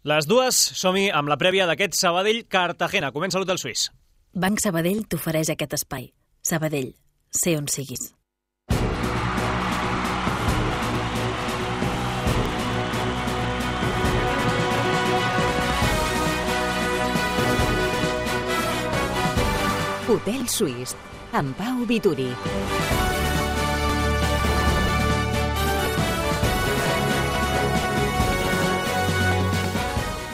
Les dues, som-hi amb la prèvia d'aquest Sabadell-Cartagena. Comença l'Hotel Suís. Banc Sabadell t'ofereix aquest espai. Sabadell, sé on siguis. Hotel Suís, amb Pau Vituri.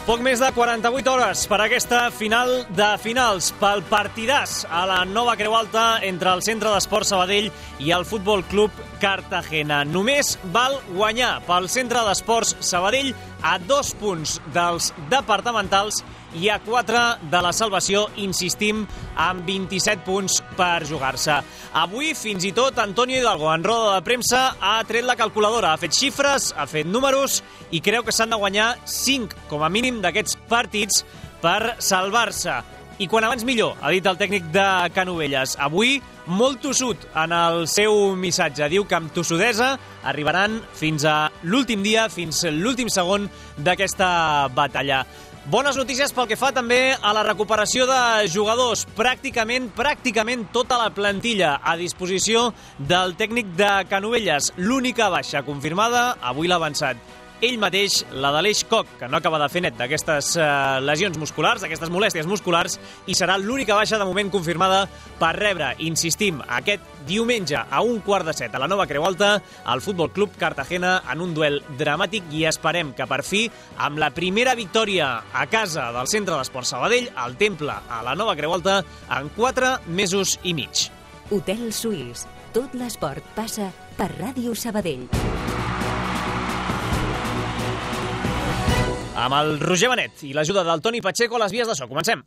Poc més de 48 hores per aquesta final de finals, pel partidàs a la nova Creu Alta entre el Centre d'Esports Sabadell i el Futbol Club Cartagena. Només val guanyar pel Centre d'Esports Sabadell a 2 punts dels departamentals i a 4 de la salvació, insistim, amb 27 punts per jugar-se. Avui, fins i tot, Antonio Hidalgo, en roda de premsa, ha tret la calculadora, ha fet xifres, ha fet números i creu que s'han de guanyar 5, com a mínim, d'aquests partits per salvar-se. I quan abans millor, ha dit el tècnic de Canovelles. Avui, molt tossut en el seu missatge. Diu que amb tossudesa arribaran fins a l'últim dia, fins a l'últim segon d'aquesta batalla. Bones notícies pel que fa també a la recuperació de jugadors. Pràcticament tota la plantilla a disposició del tècnic de Canovelles. L'única baixa confirmada, avui l'ha avançat ell mateix, la d'Aleix Koch, que no acaba de fer net d'aquestes lesions musculars, d'aquestes molèsties musculars, i serà l'única baixa de moment confirmada per rebre, insistim, aquest diumenge a 6:15 a la nova Creu Alta, al Futbol Club Cartagena en un duel dramàtic, i esperem que per fi, amb la primera victòria a casa del Centre d'Esports Sabadell, al Temple a la nova Creu Alta, en 4 mesos i mig. Hotel Suís. Tot l'esport passa per Ràdio Sabadell. Amb el Roger Benet i l'ajuda del Toni Pacheco a les vies de so. Comencem.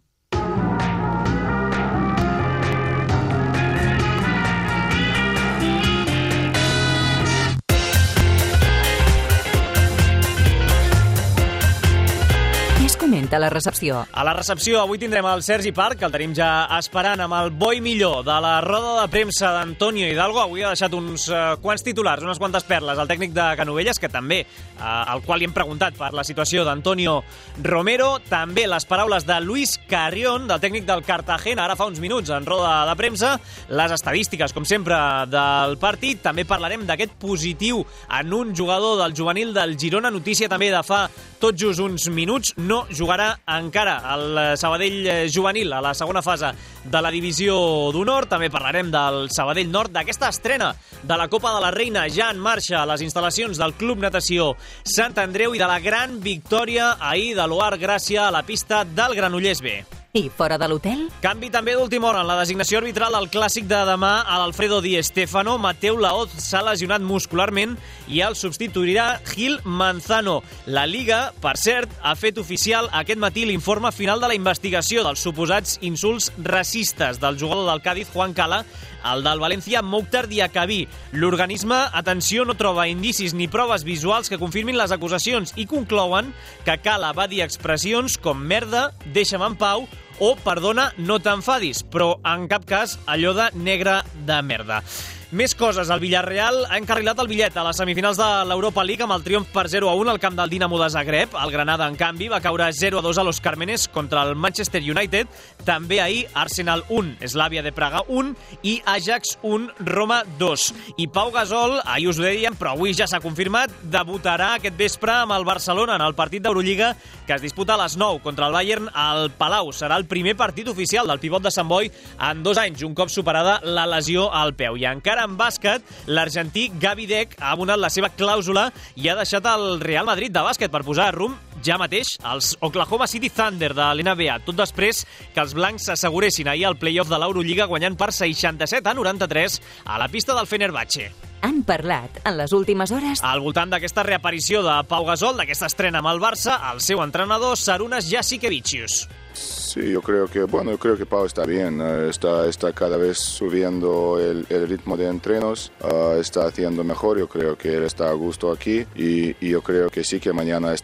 Comenta la recepció. A la recepció avui tindrem el Sergi Parc, que el tenim ja esperant amb el bo i millor de la roda de premsa d'Antonio Hidalgo. Avui ha deixat uns quants titulars, unes quantes perles al tècnic de Canovelles, que també, al qual li hem preguntat per la situació d'Antonio Romero. També les paraules de Luis Carrión, del tècnic del Cartagena, ara fa uns minuts en roda de premsa. Les estadístiques, com sempre, del partit. També parlarem d'aquest positiu en un jugador del juvenil del Girona. Notícia també de fa tot just uns minuts. No jugarà encara el Sabadell juvenil a la segona fase de la divisió d'honor. També parlarem del Sabadell Nord, d'aquesta estrena de la Copa de la Reina ja en marxa a les instal·lacions del Club Natació Sant Andreu i de la gran victòria ahir de l'Oar Gràcia a la pista del Granollers B. I fora de l'hotel? Canvi també d'última hora en la designació arbitral al clàssic de demà a l'Alfredo Di Stéfano. Mateu Laoz s'ha lesionat muscularment i el substituirà Gil Manzano. La Liga, per cert, ha fet oficial aquest matí l'informe final de la investigació dels suposats insults racistes del jugador del Cádiz, Juan Cala, el del València, Mokhtar Diakhaby. L'organisme, atenció, no troba indicis ni proves visuals que confirmin les acusacions i conclouen que Cala va dir expressions com merda, deixa'm en pau o perdona, no t'enfadis, però en cap cas allò de negre de merda. Més coses. El Villarreal ha encarrilat el bitllet a les semifinals de l'Europa League amb el triomf per 0-1 al camp del Dinamo de Zagreb. El Granada, en canvi, va caure 0-2 a los Cármenes contra el Manchester United. També ahir, Arsenal 1, Slavia de Praga 1 i Ajax 1, Roma 2. I Pau Gasol, ahir us ho dèiem, però avui ja s'ha confirmat, debutarà aquest vespre amb el Barcelona en el partit d'Eurolliga que es disputa a les 9 contra el Bayern al Palau. Serà el primer partit oficial del pivot de Sant Boi en 2 anys, un cop superada la lesió al peu. I encara en bàsquet, l'argentí Gavi Deck ha abonat la seva clàusula i ha deixat el Real Madrid de bàsquet per posar rumb ja mateix als Oklahoma City Thunder de l'NBA, tot després que els blancs s'asseguressin ahir al play-off de l'Eurolliga guanyant per 67-93 a la pista del Fenerbahçe. Han parlat en les últimes hores al voltant d'aquesta reaparició de Pau Gasol, d'aquesta estrena amb el Barça, el seu entrenador Sarunas Jasikevičius. Sí, yo creo que Pau está bien, está cada vez subiendo el ritmo de entrenos, está haciendo mejor, yo creo que él está a gusto aquí y yo creo que sí que mañana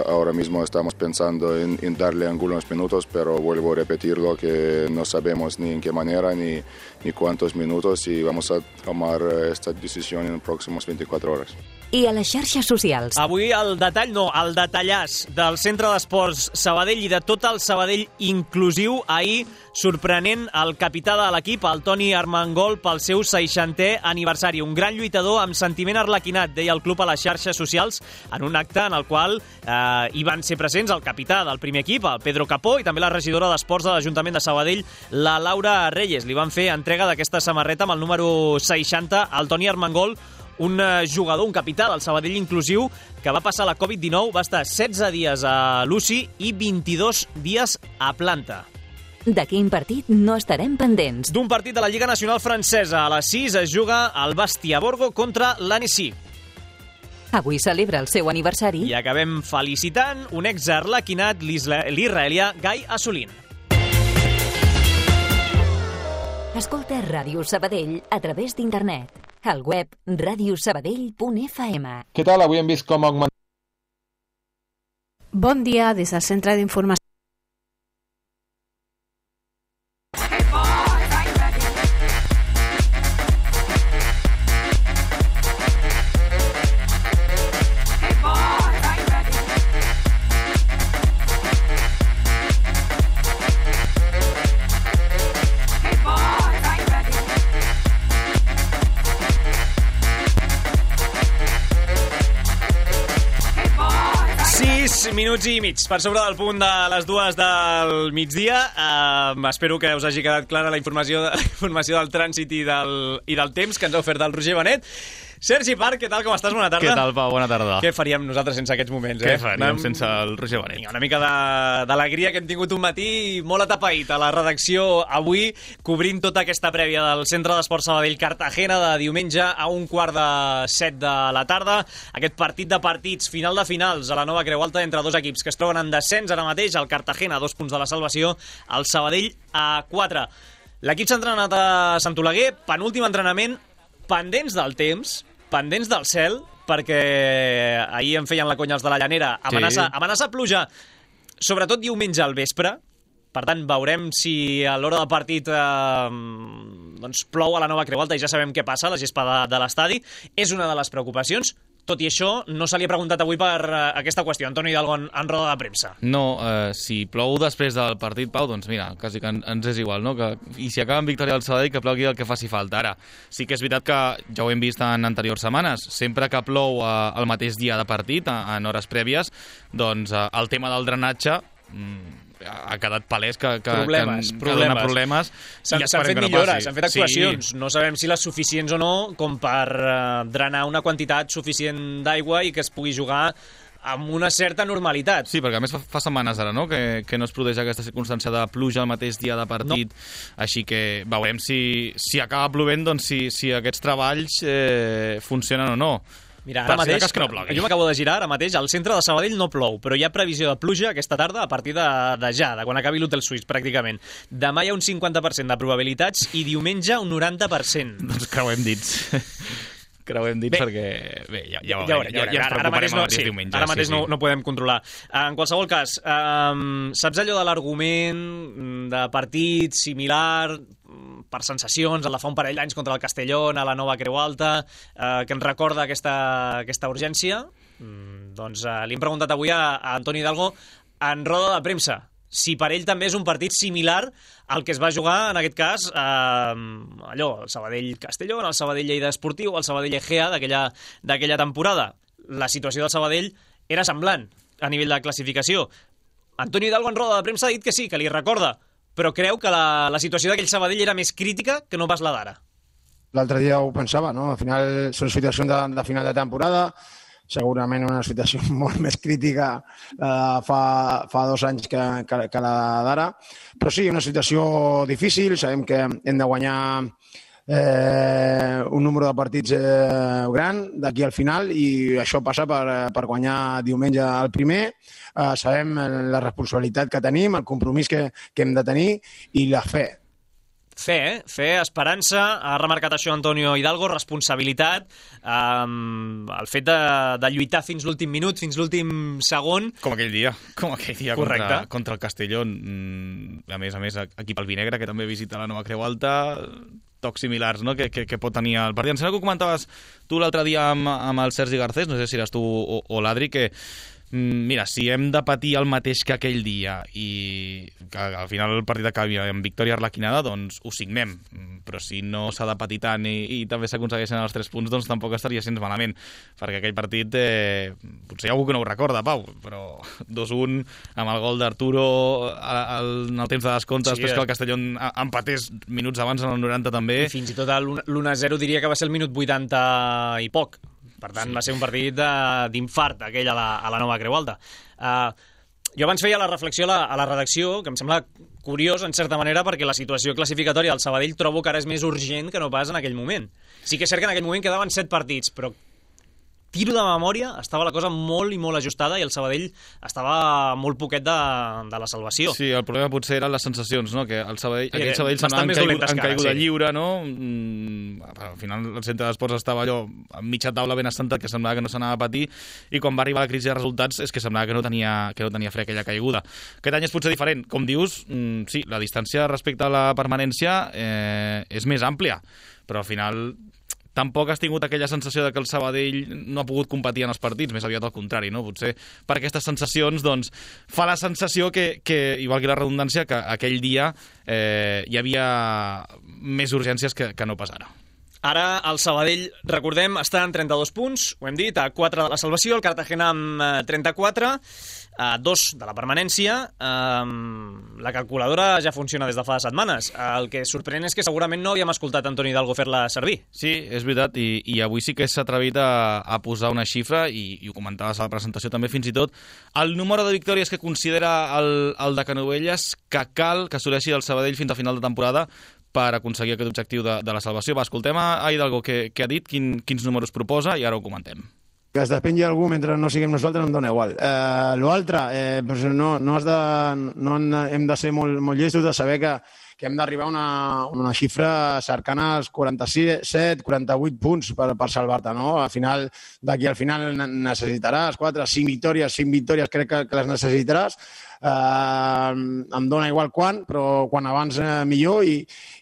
ahora mismo estamos pensando en darle algunos minutos, pero vuelvo a repetirlo que no sabemos ni en qué manera ni cuántos minutos y vamos a tomar esta decisión en las próximas 24 horas. i a les xarxes socials. Avui el detallàs del Centre d'Esports Sabadell i de tot el Sabadell inclusiu. Ahir, sorprenent el capità de l'equip, el Toni Armengol, pel seu 60è aniversari. Un gran lluitador amb sentiment arlequinat, deia el club a les xarxes socials, en un acte en el qual hi van ser presents el capità del primer equip, el Pedro Capó, i també la regidora d'Esports de l'Ajuntament de Sabadell, la Laura Reyes. Li van fer entrega d'aquesta samarreta amb el número 60 al Toni Armengol, un jugador, un capità del Sabadell inclusiu, que va passar la Covid-19, va estar 16 dies a l'UCI i 22 dies a planta. De quin partit no estarem pendents? D'un partit de la Lliga Nacional Francesa. A les 6 es juga el Bastia Borgo contra l'Annecy. Avui celebra el seu aniversari. I acabem felicitant un ex-arlequinat, l'israelià Gai Assolin. Escolta Ràdio Sabadell a través d'internet. Al web radiosabadell.fm. Què tal? Avui hem vist com augmentar... Bon dia des del Centre d'Informació. Minuts i mig per sobre del punt de les 2 del migdia. Espero que us hagi quedat clara la informació del trànsit i del temps que ens ha ofert el Roger Benet. Sergi Parc, què tal, com estàs? Bona tarda. Què tal, Pau? Bona tarda. Què faríem nosaltres sense aquests moments? Què faríem sense el Roger Benet? Una mica d'alegria que hem tingut un matí molt atapeït a la redacció avui, cobrint tota aquesta prèvia del Centre d'Esports Sabadell Cartagena de diumenge a 6:45 de la tarda. Aquest partit de partits, final de finals a la nova Creu Alta entre dos equips que es troben en descens ara mateix, el Cartagena a 2 punts de la salvació, el Sabadell a 4. L'equip s'ha entrenat a Sant Oleguer, penúltim entrenament, pendents del temps, pendents del cel, perquè ahir em feien la conya els de la Llanera. Amenaça pluja, sobretot diumenge al vespre. Per tant, veurem si a l'hora del partit plou a la nova Creu Alta i ja sabem què passa, la gespa de l'estadi. És una de les preocupacions. Tot i això, no se li ha preguntat avui per aquesta qüestió. Antoni Hidalgo en roda de premsa. No, si plou després del partit, Pau, doncs mira, quasi que ens és igual, no? I si acaba amb victòria del Sabadell, que plogui el que faci falta. Ara, sí que és veritat que ja ho hem vist en anteriors setmanes, sempre que plou el mateix dia de partit, en hores prèvies, doncs el tema del drenatge ha quedat palès que dona problemes. S'han fet millores, s'han fet actuacions. Sí. No sabem si les suficients o no com per drenar una quantitat suficient d'aigua i que es pugui jugar amb una certa normalitat. Sí, perquè a més fa setmanes ara, no?, que no es produeix aquesta circumstància de pluja el mateix dia de partit. No. Així que veurem si acaba plovent, doncs si aquests treballs funcionen o no. Mira, ara mateix, jo m'acabo de girar, ara mateix, al centre de Sabadell no plou, però hi ha previsió de pluja aquesta tarda a partir de quan acabi l'Hotel Suís, pràcticament. Demà hi ha un 50% de probabilitats i diumenge un 90%. Doncs creuem dits. Perquè... Bé, ja ens preocuparem el diumenge. Ara mateix no podem controlar. En qualsevol cas, saps allò de l'argument de partit similar per sensacions, el de fa un parell d'anys contra el Castellón, a la nova Creu Alta, que ens recorda aquesta urgència? Doncs li hem preguntat avui a Antoni Hidalgo en roda de premsa si per ell també és un partit similar al que es va jugar, en aquest cas, el Sabadell-Castellón, el Sabadell-Lleida Esportiu, el Sabadell-Egea d'aquella temporada. La situació del Sabadell era semblant a nivell de classificació. Antoni Hidalgo en roda de premsa ha dit que sí, que li recorda, però creu que la situació d'aquell Sabadell era més crítica que no pas la d'ara. L'altre dia ho pensava, no? Al final són situacions de final de temporada, segurament una situació molt més crítica fa 2 anys que la d'ara, però sí, una situació difícil, sabem que hem de guanyar un número de partits gran d'aquí al final i això passa per guanyar diumenge el primer. Sabem la responsabilitat que tenim, el compromís que hem de tenir i la fe. Fe, esperança, ha remarcat això Antonio Hidalgo, responsabilitat, el fet de lluitar fins l'últim minut, fins l'últim segon. Com aquell dia contra el Castellón. A més, equip albinegre, que també visita la nova Creu Alta. tocs similars, no?, que pot tenir el partit. Em sembla que ho comentaves tu l'altre dia amb el Sergi Garcés, no sé si eres tu o l'Adri, que mira, si hem de patir el mateix que aquell dia i que al final el partit acabi amb victòria arlequinada, doncs ho signem. Però si no s'ha de patir tant i també s'aconsegueixen els 3 punts, doncs tampoc estaria gens malament, perquè aquell partit potser hi ha algú que no ho recorda, Pau, però 2-1 amb el gol d'Arturo en el temps de descompte, després que el Castellón empatés minuts abans en el 90 també. I fins i tot l'1-0 diria que va ser el minut 80 i poc. Per tant, va ser un partit d'infart, aquell a la Nova Creu Alta. Jo abans feia la reflexió a la redacció, que em sembla curiós, en certa manera, perquè la situació classificatòria del Sabadell trobo que ara és més urgent que no pas en aquell moment. Sí que és cert que en aquell moment quedaven 7 partits, però tiro de memòria, estava la cosa molt i molt ajustada i el Sabadell estava molt poquet de la salvació. Sí, el problema potser eren les sensacions, no?, que aquell Sabadell s'han caiguda lliure, no? Al final el centre d'esports estava allò a mitja taula ben assentat, que semblava que no s'anava a patir, i quan va arribar la crisi de resultats és que semblava que no tenia fre aquella caiguda. Aquest any és potser diferent. Com dius, sí, la distància respecte a la permanència és més àmplia, però al final tampoc has tingut aquella sensació de que el Sabadell no ha pogut competir en els partits, més aviat al contrari, no? Potser per aquestes sensacions, doncs, fa la sensació que igual que la redundància, que aquell dia hi havia més urgències que no pas ara. Ara el Sabadell, recordem, està en 32 punts, ho hem dit, a 4 de la salvació, el Cartagena amb 34, a 2 de la permanència. La calculadora ja funciona des de fa setmanes. El que sorprèn és que segurament no havíem escoltat Antoni Hidalgo fer-la servir. Sí, és veritat, i avui sí que s'ha atrevit a posar una xifra, i ho comentaves a la presentació també, fins i tot el número de victòries que considera el de Canovelles que cal que assoleixi el Sabadell fins a final de temporada per aconseguir aquest objectiu de la salvació. Va, escoltem a Hidalgo què ha dit, quins números proposa, i ara ho comentem. Que es despengui algú mentre no siguem nosaltres em dona igual. L'altre, no hem de ser molt llestos de saber que hem d'arribar a una xifra cercana als 47, 48 punts per salvar-te, no? D'aquí al final necessitaràs 4, 5 victòries crec que les necessitaràs. Em dona igual quan, però quan abans millor, i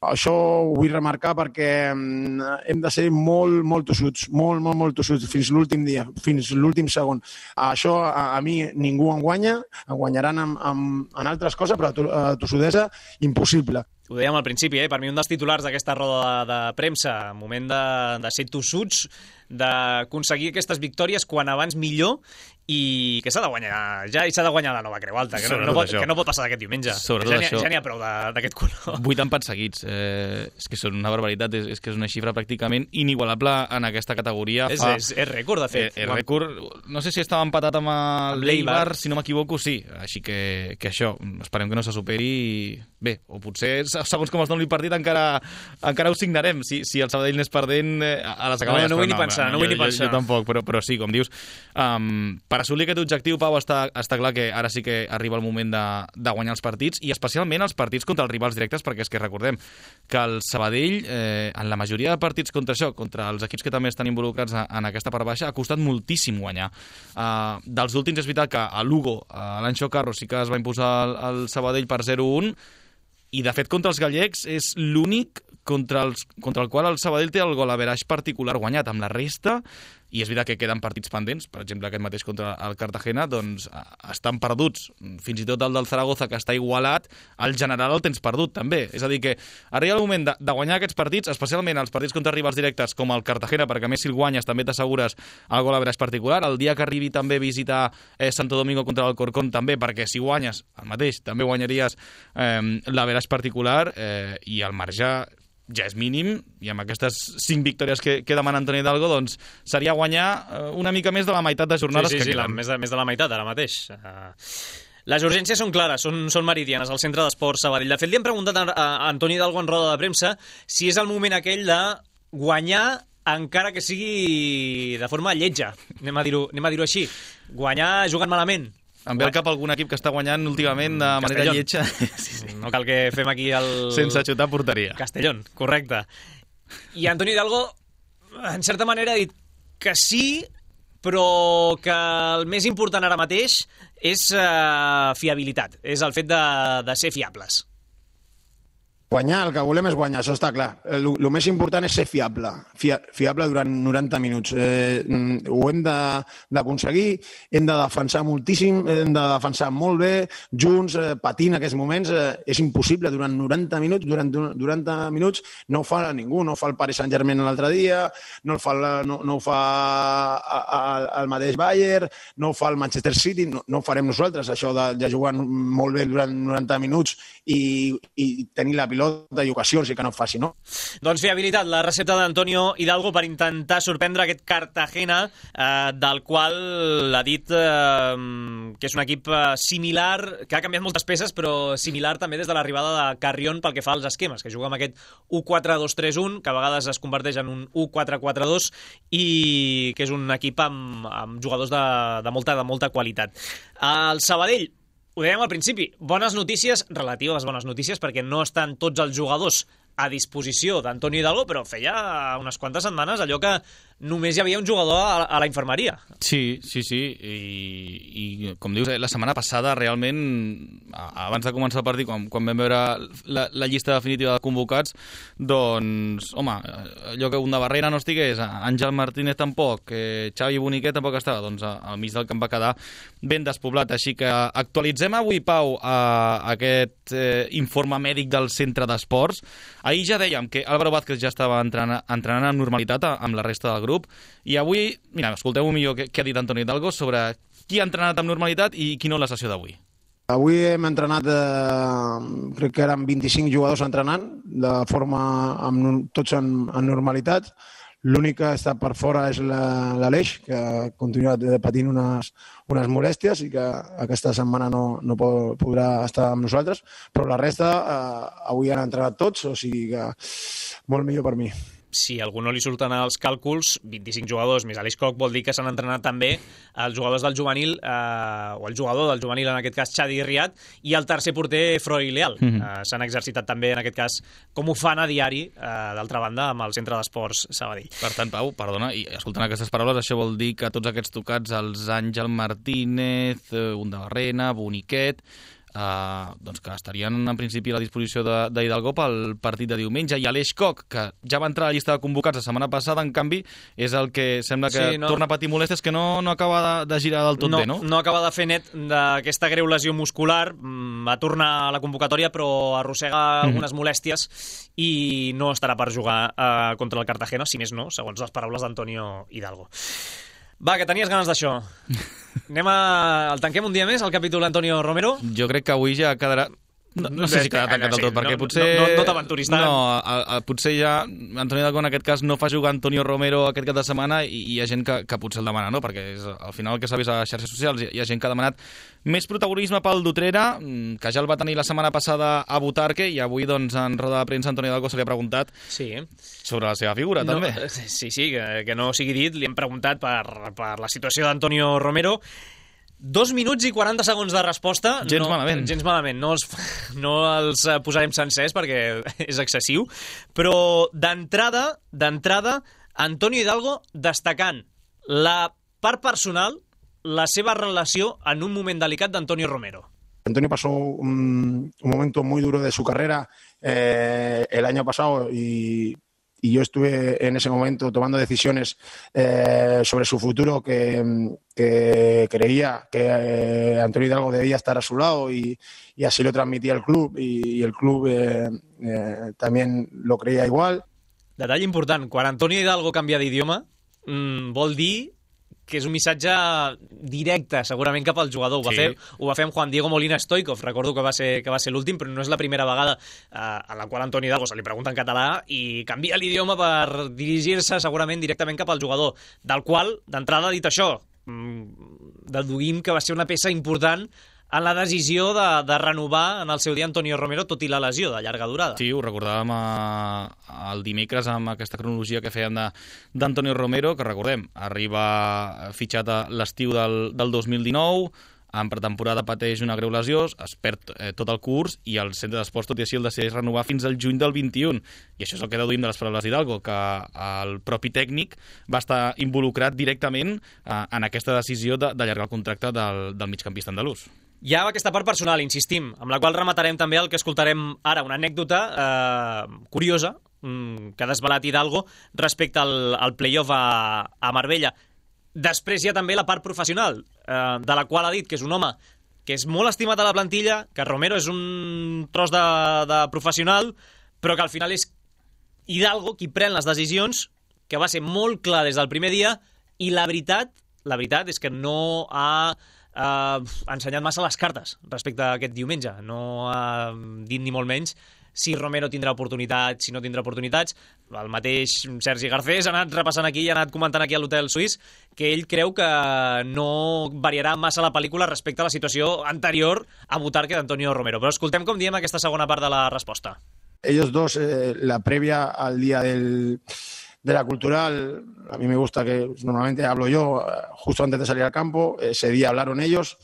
això ho vull remarcar perquè hem de ser molt tossuts, molt tossuts fins l'últim dia, fins l'últim segon. Això a mi ningú em guanya, em guanyaran en altres coses, però a tossudesa impossible. Ho dèiem al principi, per mi un dels titulars d'aquesta roda de premsa, moment de ser tossuts, d'aconseguir aquestes victòries quan abans millor, i que s'ha de guanyar ja, i s'ha de guanyar la Nova Creu Alta, que no pot passar aquest diumenge. Ja n'hi ha prou d'aquest color. 8 empats seguits, és que són una barbaritat, és que és una xifra pràcticament inigualable en aquesta categoria. És rècord, de fet. És rècord, no sé si estava empatat amb l'Eibar, si no m'equivoco, sí. Així que això, esperem que no se superi, i bé, o potser, segons com es doni el partit, encara ho signarem. Si el Sabadell n'és perdent, a les acaballes. No vull ni pensar. Jo tampoc, però sí, com dius, per assolir aquest objectiu, Pau, està clar que ara sí que arriba el moment de guanyar els partits, i especialment els partits contra els rivals directes, perquè és que recordem que el Sabadell, en la majoria de partits contra els equips que també estan involucrats en aquesta part baixa, ha costat moltíssim guanyar. Dels últims és veritat que a Lugo, l'Anxo Carro, sí que es va imposar el Sabadell per 0-1, i de fet contra els gallecs és l'únic contra el qual el Sabadell té el gol average particular guanyat. Amb la resta, i és veritat que queden partits pendents, per exemple aquest mateix contra el Cartagena, doncs estan perduts. Fins i tot el del Zaragoza, que està igualat, el general el tens perdut també. És a dir que arriba el moment de guanyar aquests partits, especialment els partits contra rivals directes com el Cartagena, perquè a més si el guanyes també t'assegures el gol average particular. El dia que arribi també visitar Santo Domingo contra l'Alcorcón també, perquè si guanyes el mateix també guanyaries l'average particular, i el marge ja és mínim, i amb aquestes 5 victòries que demana Antoni Hidalgo, doncs seria guanyar una mica més de la meitat de jornades que queden. Més de la meitat ara mateix. Les urgències són clares, són meridianes al centre d'esports Sabadell. De fet, li hem preguntat a Antoni Hidalgo en roda de premsa si és el moment aquell de guanyar encara que sigui de forma lletja, anem a dir-ho així, guanyar jugant malament. Em ve al cap algun equip que està guanyant últimament de manera lletja. Sí. No cal que fem aquí sense xutar porteria. Castellón, correcte. I Antoni Hidalgo, en certa manera, ha dit que sí, però que el més important ara mateix és fiabilitat, és el fet de ser fiables. Guanyar, el que volem és guanyar, això està clar. El més important és ser fiable, fiable durant 90 minuts. Ho hem d'aconseguir, hem de defensar moltíssim, hem de defensar molt bé, junts, patint aquests moments. És impossible durant 90 minuts, durant 90 minuts no ho fa ningú, no ho fa el Paris Saint-Germain l'altre dia, no ho fa el mateix Bayern, no ho fa el Manchester City, no ho farem nosaltres, això de jugar molt bé durant 90 minuts i tenir la pilota i ocasions i que no faci, no? Doncs bé, habilitat la recepta d'Antonio Hidalgo per intentar sorprendre aquest Cartagena, del qual ha dit que és un equip similar, que ha canviat moltes peces, però similar també des de l'arribada de Carrión pel que fa als esquemes, que juga amb aquest 1-4-2-3-1, que a vegades es converteix en un 1-4-4-2 i que és un equip amb jugadors de molta qualitat. El Sabadell, ho dèiem al principi, bones notícies, relatives bones notícies, perquè no estan tots els jugadors a disposició d'Antonio Hidalgo, però feia unes quantes setmanes allò que només hi havia un jugador a la infermeria. Sí, i com dius, la setmana passada realment, abans de començar el partit, quan vam veure la llista definitiva de convocats, doncs, home, allò que un de Barrera no estigués, Àngel Martínez tampoc, Xavi Boniquet tampoc estava, doncs al mig del camp va quedar ben despoblat. Així que actualitzem avui, Pau, aquest informe mèdic del centre d'esports. Ahir ja dèiem que Álvaro Vázquez ja estava entrenant amb normalitat amb la resta del grup, i avui, mira, escolteu millor què ha dit Antonio Hidalgo sobre qui ha entrenat amb normalitat i qui no la sessió d'avui. Avui hem entrenat, crec que eren 25 jugadors entrenant, de forma tots en normalitat. L'únic que està per fora és l'Aleix, que ha continuat patint unes molèsties i que aquesta setmana no podrà estar amb nosaltres, però la resta avui han entrenat tots, o sigui que molt millor per mi. Si a algú no li surten els càlculs, 25 jugadors més Aleix Koch vol dir que s'han entrenat també els jugadors del juvenil, o el jugador del juvenil, en aquest cas Xadi Riad, i el tercer porter Freud Leal. S'han exercitat també, en aquest cas, com ho fan a diari, d'altra banda, amb el Centre d'Esports Sabadell. Per tant, Pau, perdona, i escoltant aquestes paraules, això vol dir que tots aquests tocats, els Àngel Martínez, un de Barrena, Boniquet, doncs que estarien en principi a la disposició d'Hidalgo pel partit de diumenge, i Aleix Koch, que ja va entrar a la llista de convocats la setmana passada, en canvi és el que sembla que torna a patir molèsties, que no acaba de girar del tot bé, no? No acaba de fer net d'aquesta greu lesió muscular, va tornar a la convocatòria però arrossega algunes molèsties i no estarà per jugar contra el Cartagena, si més no, segons les paraules d'Antonio Hidalgo. Va, que tenies ganes d'això. El tanquem un dia més, el capítol Antonio Romero? Jo crec que avui ja quedarà... No sé si quedarà tancat del tot, perquè potser... No t'aventuris tant. No, potser ja Antonio Hidalgo en aquest cas no fa jugar Antonio Romero aquest cap de setmana, i hi ha gent que potser el demana, no? Perquè al final el que s'ha vist a les xarxes socials hi ha gent que ha demanat més protagonisme pel d'Utrera, que ja el va tenir la setmana passada a Butarque, i avui doncs en roda de premsa Antonio Hidalgo se li ha preguntat sobre la seva figura, també. Sí, que no sigui dit, li hem preguntat per la situació d'Antonio Romero. 2 minuts i 40 segons de resposta. Gens malament. Gens malament. No els posarem sencers perquè és excessiu. Però d'entrada, Antonio Hidalgo destacant la part personal, la seva relació en un moment delicat d'Antonio Romero. Antonio pasó un momento muy duro de su carrera el año pasado y yo estuve en ese momento tomando decisiones sobre su futuro que creía que Antonio Hidalgo debía estar a su lado y así lo transmitía el club y el club también lo creía igual. Detall important, quan Antonio Hidalgo canvia d'idioma vol dir que és un missatge directe, segurament, cap al jugador. Ho va fer amb Juan Diego Molina Stoikov, recordo que va ser l'últim, però no és la primera vegada a la qual Antonio Hidalgo se li pregunta en català i canvia l'idioma per dirigir-se segurament directament cap al jugador, del qual, d'entrada, dit això, deduïm que va ser una peça important en la decisió de renovar en el seu dia Antonio Romero, tot i la lesió de llarga durada. Sí, ho recordàvem el dimecres amb aquesta cronologia que fèiem d'Antonio Romero, que recordem, arriba fitxat a l'estiu del 2019, en pretemporada pateix una greu lesió, es perd tot el curs i el centre d'esports, tot i així, el decideix renovar fins al juny del 21. I això és el que deduïm de les paraules d'Hidalgo, que el propi tècnic va estar involucrat directament en aquesta decisió d'allargar el contracte del migcampista andalús. Hi ha aquesta part personal, insistim, amb la qual rematarem també el que escoltarem ara, una anècdota curiosa que ha desvelat Hidalgo respecte al play-off a Marbella. Després hi ha també la part professional, de la qual ha dit que és un home que és molt estimat a la plantilla, que Romero és un tros de professional, però que al final és Hidalgo qui pren les decisions, que va ser molt clar des del primer dia, i la veritat és que no ha ensenyat massa les cartes respecte a aquest diumenge. No ha dit ni molt menys si Romero tindrà oportunitats, si no tindrà oportunitats. El mateix Sergi Garcés ha anat repassant aquí i ha anat comentant aquí a l'Hotel Suís que ell creu que no variarà massa la pel·lícula respecte a la situació anterior a Butarque d'Antonio Romero. Però escoltem com diem aquesta segona part de la resposta. Ellos dos, la previa al día de la cultural, a mí me gusta que normalmente hablo yo justo antes de salir al campo, ese día hablaron ellos,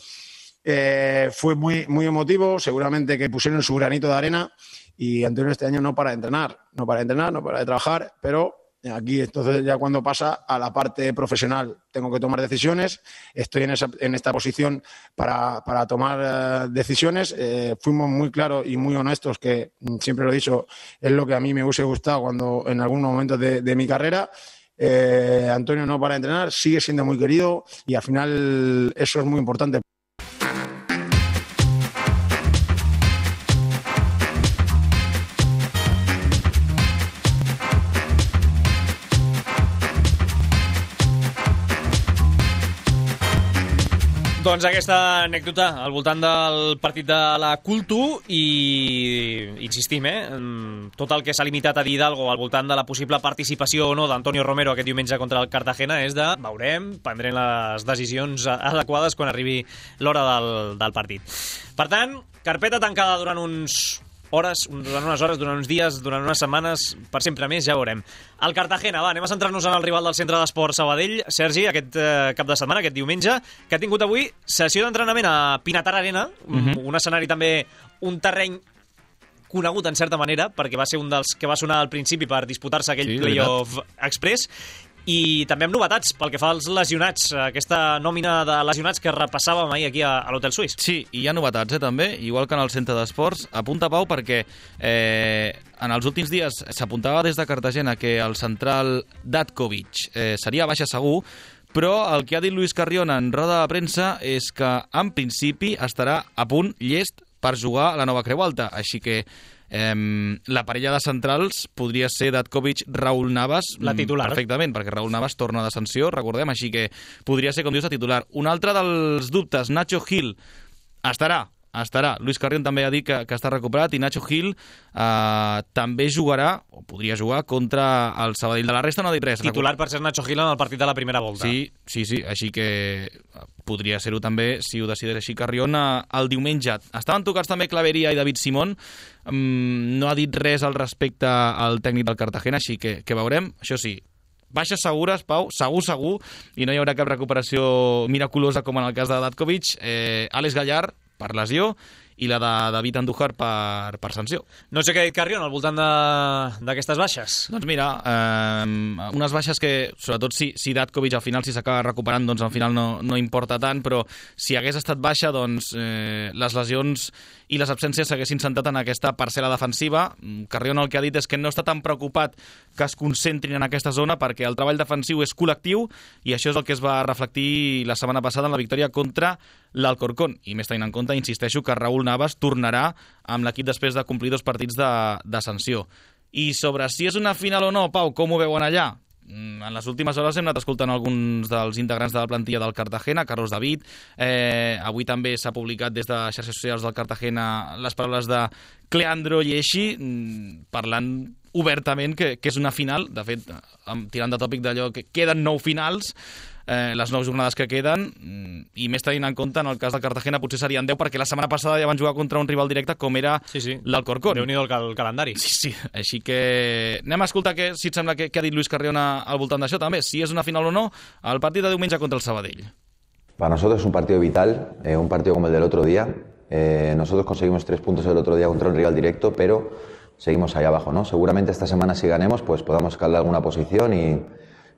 fue muy, muy emotivo, seguramente que pusieron su granito de arena. Y Antonio este año no para de entrenar, no para de trabajar, pero aquí entonces ya cuando pasa a la parte profesional tengo que tomar decisiones, estoy en esta posición para tomar decisiones. Fuimos muy claros y muy honestos, que siempre lo he dicho, es lo que a mí me hubiese gustado cuando en algunos momentos de mi carrera. Antonio no para de entrenar, sigue siendo muy querido y al final eso es muy importante. Doncs aquesta anècdota al voltant del partit de la Cultu i insistim, tot el que s'ha limitat a dir Hidalgo al voltant de la possible participació o no d'Antonio Romero aquest diumenge contra el Cartagena és de veurem, prendrem les decisions adequades quan arribi l'hora del partit. Per tant, carpeta tancada durant unes hores, durant uns dies, durant unes setmanes, per sempre més, ja veurem. El Cartagena, anem a centrar-nos en el rival del Centre d'Esports Sabadell. Sergi, aquest cap de setmana, aquest diumenge, que ha tingut avui sessió d'entrenament a Pinatar Arena, un escenari també, un terreny conegut en certa manera, perquè va ser un dels que va sonar al principi per disputar-se aquell playoff express, i també amb novetats pel que fa als lesionats, aquesta nòmina de lesionats que repassàvem ahir aquí a l'Hotel Suís. Sí, i hi ha novetats també, igual que en el Centre d'Esports. Apunta, Pau, perquè en els últims dies s'apuntava des de Cartagena que el central Datkovic seria baixa segur, però el que ha dit Luis Carrión en roda de premsa és que en principi estarà a punt llest per jugar a la nova Creu Alta, així que la parella de centrals podria ser Datkovic-Raúl Navas, la titular, perfectament, perquè Raúl Navas torna de sanció, recordem, així que podria ser, com dius, la titular. Un altre dels dubtes, Nacho Gil, estarà. Luis Carrión també ha dit que està recuperat i Nacho Gil també jugarà, o podria jugar, contra el Sabadell. De la resta no ha dit res. Titular per ser Nacho Gil en el partit de la primera volta. Sí, així que podria ser-ho també, si ho decideix així Carrión, el diumenge. Estaven tocats també Claveria i David Simón, no ha dit res al respecte al tècnic del Cartagena, així que veurem. Això sí, baixes segures, Pau, segur, i no hi haurà cap recuperació miraculosa com en el cas de Datkovic. Àlex Gallard, per lesió, i la de David Andújar per sanció. No sé què ha dit Carrión al voltant d'aquestes baixes. Doncs mira, unes baixes que, sobretot si Datkovic al final si s'acaba recuperant, doncs al final no importa tant, però si hagués estat baixa, doncs les lesions i les absències s'haguessin centrat en aquesta parcel·la defensiva. Carrión el que ha dit és que no està tan preocupat que es concentrin en aquesta zona perquè el treball defensiu és col·lectiu i això és el que es va reflectir la setmana passada en la victòria contra l'Alcorcón. I més tenint en compte, insisteixo, que Raúl Navas tornarà amb l'equip després de complir 2 partits de sanció. I sobre si és una final o no, Pau, com ho veuen allà? En les últimes hores hem anat escoltant alguns dels integrants de la plantilla del Cartagena, Carlos David. Avui també s'ha publicat des de xarxes socials del Cartagena les paraules de Cleandro Lleixi, parlant obertament que és una final. De fet, tirant de tòpic d'allò que queden 9 finals, les 9 jornades que queden, i més tenint en compte en el cas del Cartagena potser serien 10 perquè la setmana passada ja van jugar contra un rival directe com era l'Alcorcón. Déu-n'hi-do el calendari. Sí, així que anem a escoltar si et sembla que ha dit Luis Carrión al voltant d'això també, si és una final o no el partit de diumenge contra el Sabadell. Para nosotros es un partido vital, un partido como el del otro día. Nosotros conseguimos 3 puntos el otro día contra un rival directo, pero seguimos ahí abajo, ¿no? Seguramente esta semana si ganemos, pues podamos escalar alguna posición y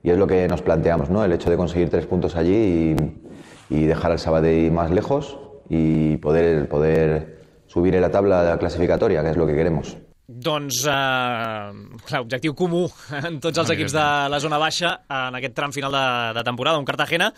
es lo que nos planteamos, ¿no? El hecho de conseguir 3 puntos allí y dejar al Sabadell más lejos y poder subir en la tabla clasificatoria, que és el que queremos. Doncs, clar, objectiu comú en tots els equips de la zona baixa en aquest tram final de temporada, un Cartagena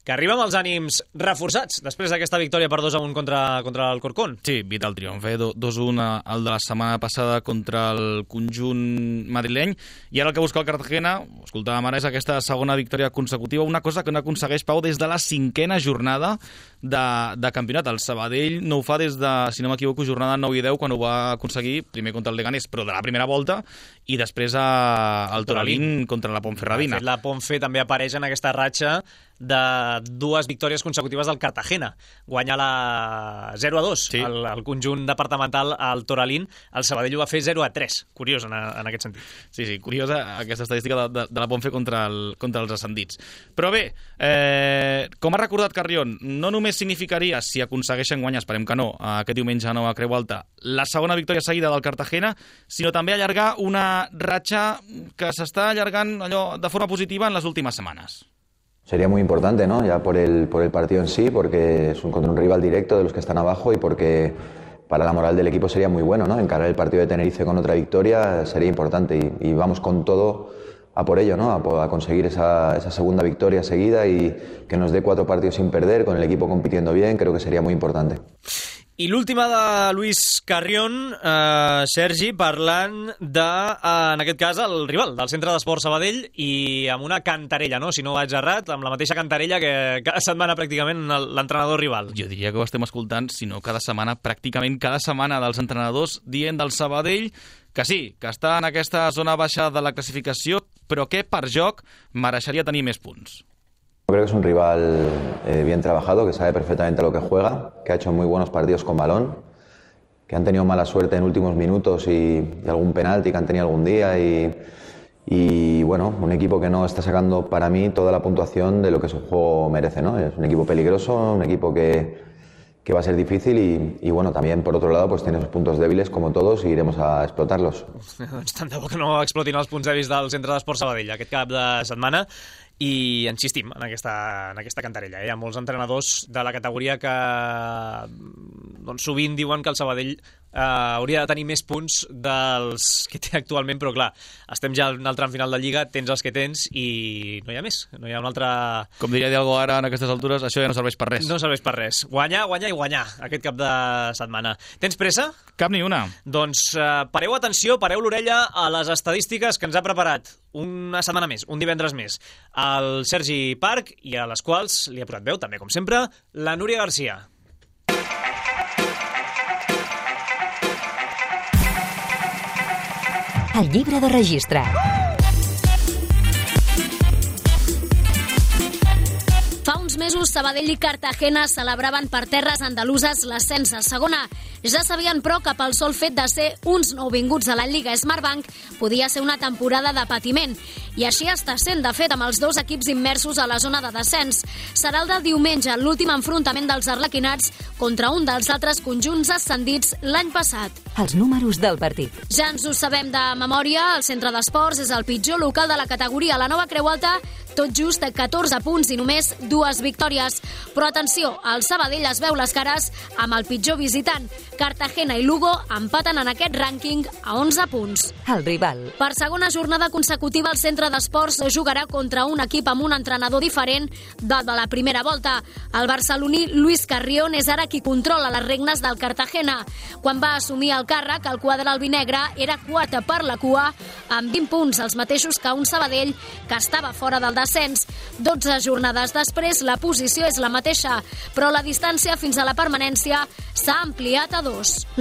que arriba amb els ànims reforçats després d'aquesta victòria per 2-1 contra el Corcón. Sí, vital triomf, 2-1 el de la setmana passada contra el conjunt madrileny, i ara el que busca el Cartagena, ho escoltàvem ara, és aquesta segona victòria consecutiva, una cosa que no aconsegueix, Pau, des de la 5ª jornada de campionat. El Sabadell no ho fa des de, si no m'equivoco, jornada 9 i 10, quan ho va aconseguir, primer contra el Leganés, però de la primera volta, i després al Toralín contra la Ponferradina. De fet, la Ponfe també apareix en aquesta ratxa de 2 victòries consecutives del Cartagena. Guanya la 0-2 sí. el conjunt departamental al Toralín. El Sabadell ho va fer 0-3. Curiós en aquest sentit. Sí, curiosa aquesta estadística de la Ponfe contra els ascendits. Però bé, com ha recordat Carrión, no només significaria, si aconsegueixen guanyar, esperem que no, aquest diumenge a Nova Creu Alta, la segona victòria seguida del Cartagena, sinó també allargar una ratxa que s'està allargant allò de forma positiva en les últimes setmanes. Sería muy importante, ¿no? Ya por el partido en sí, porque es contra un rival directo de los que están abajo y porque para la moral del equipo sería muy bueno, ¿no? Encarar el partido de Tenerife con otra victoria sería importante y vamos con todo a por ello, ¿no? A conseguir esa segunda victoria seguida y que nos dé 4 partidos sin perder, con el equipo compitiendo bien, creo que sería muy importante. I l'última de Luis Carrión, Sergi, parlant de, en aquest cas, el rival del Centre d'Esports Sabadell i amb una cantarella, no? Si no vaig errat, amb la mateixa cantarella que cada setmana pràcticament l'entrenador rival. Jo diria que ho estem escoltant, si no cada setmana, pràcticament cada setmana dels entrenadors dient del Sabadell que sí, que està en aquesta zona baixa de la classificació, però que per joc mereixeria tenir més punts. Creo que es un rival bien trabajado, que sabe perfectamente lo que juega, que ha hecho muy buenos partidos con balón, que han tenido mala suerte en últimos minutos y algún penalti que han tenido algún día y bueno, un equipo que no está sacando para mí toda la puntuación de lo que su juego merece, ¿no? Es un equipo peligroso, un equipo que va a ser difícil y bueno, también por otro lado pues tiene sus puntos débiles como todos y iremos a explotarlos. Doncs tant de bo que no explotin els punts dèbils del Centre d'Esports Sabadell aquest cap de setmana. I insistim en aquesta cantarella. Hi ha molts entrenadors de la categoria que doncs, sovint diuen que el Sabadell hauria de tenir més punts dels que té actualment, però clar, estem ja en el tram final de Lliga, tens els que tens i no hi ha més, no hi ha un altre... Com diria Dialgo ara en aquestes altures, això ja no serveix per res. No serveix per res. Guanyar, guanyar i guanyar aquest cap de setmana. Tens pressa? Cap ni una. Doncs pareu atenció, pareu l'orella a les estadístiques que ens ha preparat una setmana més, un divendres més, el Sergi Parc, i a les quals li ha posat veu, també com sempre, la Núria Garcia. El llibre de registre. Fa uns mesos, Sabadell i Cartagena celebraven per terres andaluses l'ascens a segona. Ja sabien, però, que pel sol fet de ser uns nouvinguts a la Lliga Smartbank podia ser una temporada de patiment. I així està sent, de fet, amb els 2 equips immersos a la zona de descens. Serà el de diumenge, l'últim enfrontament dels arlequinats contra un dels altres conjunts ascendits l'any passat. Els números del partit. Ja ens ho sabem de memòria, el Centre d'Esports és el pitjor local de la categoria. A la Nova Creu Alta, tot just 14 punts i només 2 victòries. Però atenció, el Sabadell es veu les cares amb el pitjor visitant. Cartagena i Lugo empaten en aquest rànquing a 11 punts. El rival. Per segona jornada consecutiva, el Centre d'Esports jugarà contra un equip amb un entrenador diferent del de la primera volta. El barceloní Luis Carrión és ara qui controla les regnes del Cartagena. Quan va assumir el càrrec, el quadre albinegre era quart per la cua, amb 20 punts, els mateixos que un Sabadell que estava fora del descens. 12 jornades després, la posició és la mateixa, però la distància fins a la permanència s'ha ampliat a 2.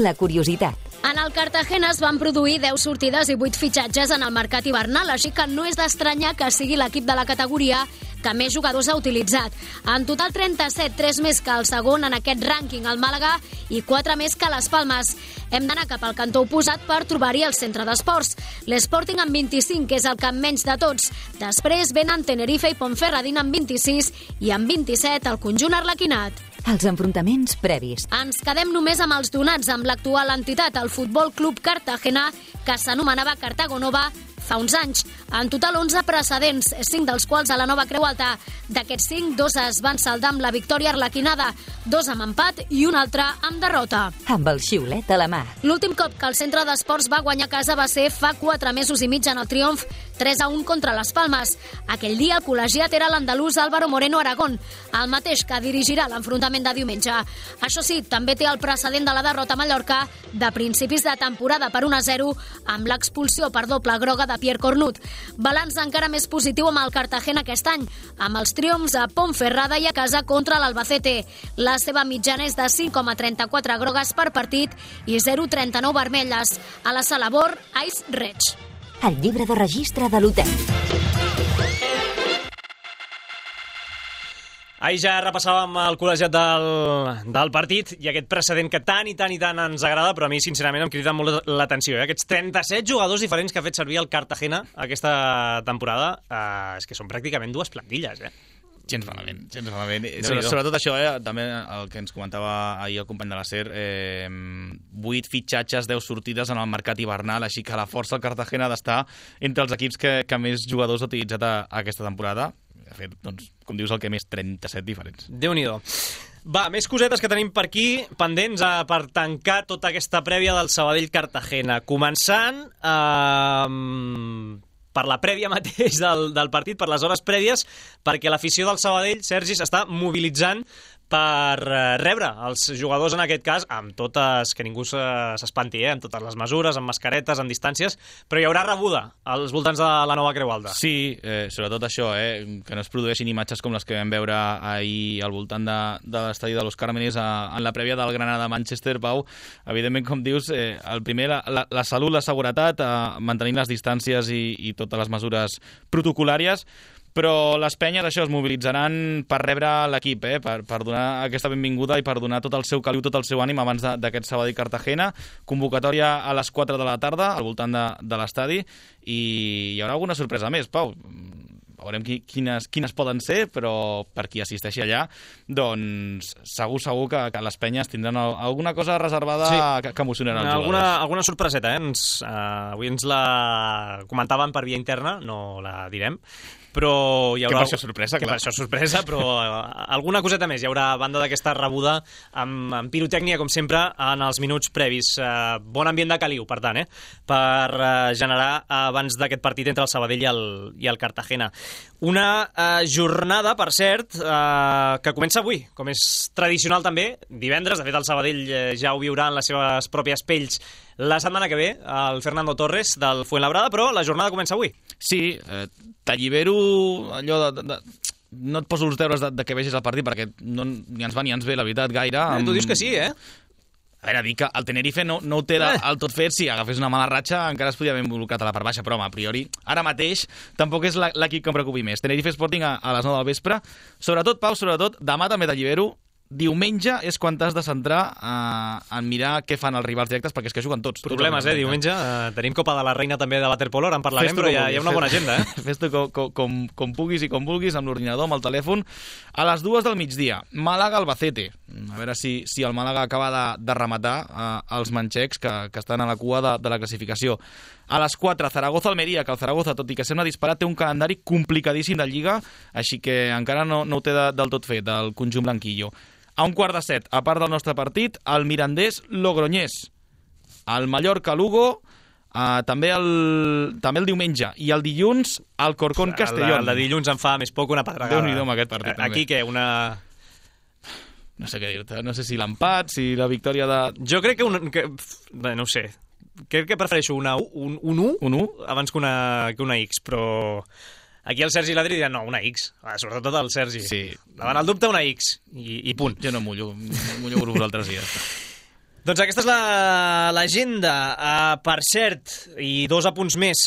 La curiositat. En el Cartagena es van produir 10 sortides i 8 fitxatges en el mercat hivernal, així que no és d'estranyar que sigui l'equip de la categoria que més jugadors ha utilitzat. En total 37, 3 més que el segon en aquest rànquing, el Màlaga, i 4 més que les Palmes. Hem d'anar cap al cantó oposat per trobar-hi el centre d'esports. L'Sporting amb 25, que és el que menys de tots. Després venen Tenerife i Ponferradina amb 26 i amb 27 el conjunt arlequinat. Els enfrontaments previs. Ens quedem només amb els donats amb l'actual entitat, el Futbol Club Cartagena, que s'anomenava Cartago Nova fa uns anys. En total 11 precedents, 5 dels quals a la Nova Creu Alta. D'aquests 5, 2 es van saldar amb la victòria arlequinada, 2 amb empat i un altre amb derrota. Amb el xiulet a la mà. L'últim cop que el centre d'esports va guanyar a casa va ser fa 4 mesos i mig en el triomf 3-1 contra les Palmes. Aquell dia el col·legiat era l'andalús Álvaro Moreno Aragón, el mateix que dirigirà l'enfrontament de diumenge. Això sí, també té el precedent de la derrota a Mallorca de principis de temporada per 1-0 amb l'expulsió per doble groga de Pierre Cornut. Balanç encara més positiu amb el Cartagena aquest any, amb els triomfs a Ponferrada i a casa contra l'Albacete. La seva mitjana és de 5,34 grogues per partit i 0,39 vermelles. A la sala Bor, Ice Red. El llibre de registre de l'hotel. Ahir ja repassàvem el col·legiat del partit i aquest precedent que tant i tant ens agrada, però a mi sincerament em crida molt l'atenció. Aquests 37 jugadors diferents que ha fet servir el Cartagena aquesta temporada, és que són pràcticament 2 plantilles, Gens malament. Sobretot això, també el que ens comentava ahir el company de la SER, 8 fitxatges, 10 sortides en el mercat hivernal, així que a la força el Cartagena ha d'estar entre els equips que més jugadors ha utilitzat aquesta temporada. De fet, doncs, com dius, el que més 37 diferents. Déu-n'hi-do. Va, més cosetes que tenim per aquí, pendents per tancar tota aquesta prèvia del Sabadell-Cartagena. Començant per la prèvia mateix del partit, per les hores prèvies, perquè l'afició del Sabadell, Sergi, s'està mobilitzant per rebre els jugadors, en aquest cas, amb totes, que ningú s'espanti, amb totes les mesures, amb mascaretes, amb distàncies, però hi haurà rebuda als voltants de la Nova Creu Alta. Sí, sobretot això, que no es produeixin imatges com les que vam veure ahir al voltant de l'estadi de Los Cármenes en la prèvia del Granada-Manchester, Pau. Evidentment, com dius, el primer, la salut, la seguretat, mantenint les distàncies i totes les mesures protocolàries, però les penyes, això, es mobilitzaran per rebre l'equip, per donar aquesta benvinguda i per donar tot el seu caliu, tot el seu ànim abans d'aquest Sabadell-Cartagena. Convocatòria a les 4 de la tarda, al voltant de l'estadi, i hi haurà alguna sorpresa més, Pau. Veurem quines poden ser, però per qui assisteixi allà, doncs segur que les penyes tindran alguna cosa reservada, sí, que emocionarà els jugadors. Alguna sorpreseta, avui ens la comentaven per via interna, no la direm, però hi haurà... Que per això sorpresa, clar. Que per això sorpresa, però alguna coseta més. Hi haurà banda d'aquesta rebuda amb pirotècnia, com sempre, en els minuts previs. Bon ambient de caliu, per tant, per generar abans d'aquest partit entre el Sabadell i el Cartagena. Una jornada, per cert, que comença avui, com és tradicional també, divendres. De fet, el Sabadell ja ho viurà en les seves pròpies pells la setmana que ve, el Fernando Torres del Fuenlabrada, però la jornada comença avui. Sí, t'allibero allò de no et poso els deures de que vegis el partit, perquè ni ens va ni ens ve, la veritat, gaire. Tu dius que sí, A veure, dic que el Tenerife no ho té del tot fet. Si agafés una mala ratxa encara es podia haver involucrat a la part baixa, però home, a priori, ara mateix tampoc és l'equip que em preocupi més. Tenerife Sporting a les 9 del vespre. Sobretot, Pau, demà també t'allibero. Diumenge és quan t'has de centrar en mirar què fan els rivals directes, perquè és que juguen tots. Problemes, diumenge. Tenim Copa de la Reina també de Waterpolo, ara en parlarem, però hi ha una bona agenda. Fes-t'ho com puguis i com vulguis, amb l'ordinador, amb el telèfon. A les 2 del migdia, Màlaga-Albacete. A veure si el Màlaga acaba de rematar els manxecs que estan a la cua de la classificació. A les 4, Zaragoza-Almeria, que el Zaragoza, tot i que sembla disparat, té un calendari complicadíssim de Lliga, així que encara no ho té del tot fet, el conjunt blanquillo. A 6:15, a part del nostre partit, el Mirandés-Logroñés, el Mallorca-Lugo, també el diumenge, i el dilluns, el Corcón-Castellón. El de dilluns em fa més poc una pedregada. Déu-n'hi-do amb aquest partit, també. Aquí què, una... No sé què dir-te, no sé si l'empat, si la victòria de... Jo crec no ho sé. Crec que prefereixo un 1 abans que una X, però... Aquí el Sergi i l'Adri diran, no, una X. Sobretot el Sergi. Sí. Davant el dubte, una X. I punt. Jo no mullo per vosaltres dies. Doncs aquesta és l'agenda. Per cert, i 2 apunts més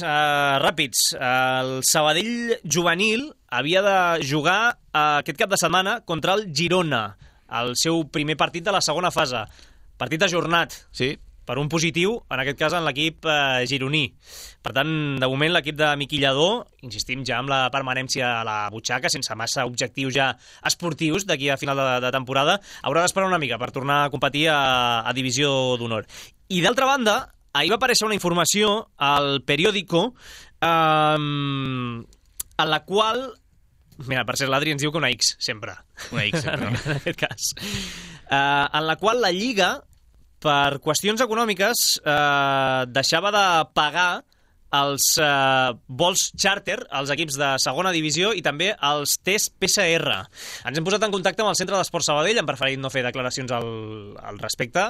ràpids, el Sabadell juvenil havia de jugar aquest cap de setmana contra el Girona, el seu primer partit de la segona fase. Partit ajornat. Sí. Per un positiu, en aquest cas en l'equip gironí. Per tant, de moment l'equip de Miqui Lladó, insistim ja amb la permanència a la butxaca, sense massa objectius ja esportius d'aquí a final de temporada, haurà d'esperar una mica per tornar a competir a Divisió d'Honor. I d'altra banda, ahir va aparèixer una informació al periòdico en la qual... Mira, per cert, l'Adri ens diu que una X, sempre. Una X, sempre. En aquest cas. En la qual la Lliga, per qüestions econòmiques, deixava de pagar els vols charter als equips de segona divisió i també els tests PCR. Ens hem posat en contacte amb el Centre d'Esport Sabadell, hem preferit no fer declaracions al respecte.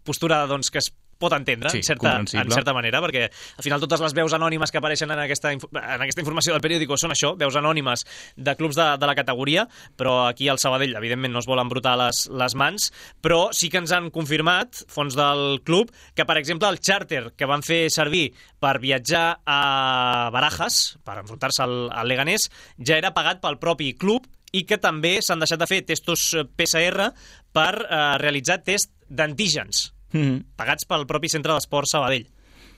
Postura, doncs, que es pot entendre, sí, en certa manera, perquè al final totes les veus anònimes que apareixen en aquesta informació del periòdico són això, veus anònimes de clubs de la categoria, però aquí al Sabadell, evidentment, no es volen embrutar les mans, però sí que ens han confirmat, fons del club, que, per exemple, el charter que van fer servir per viatjar a Barajas, per enfrontar-se al Leganés, ja era pagat pel propi club i que també s'han deixat de fer testos PCR per realitzar test d'antígens, pagats pel propi Centre d'Esport Sabadell.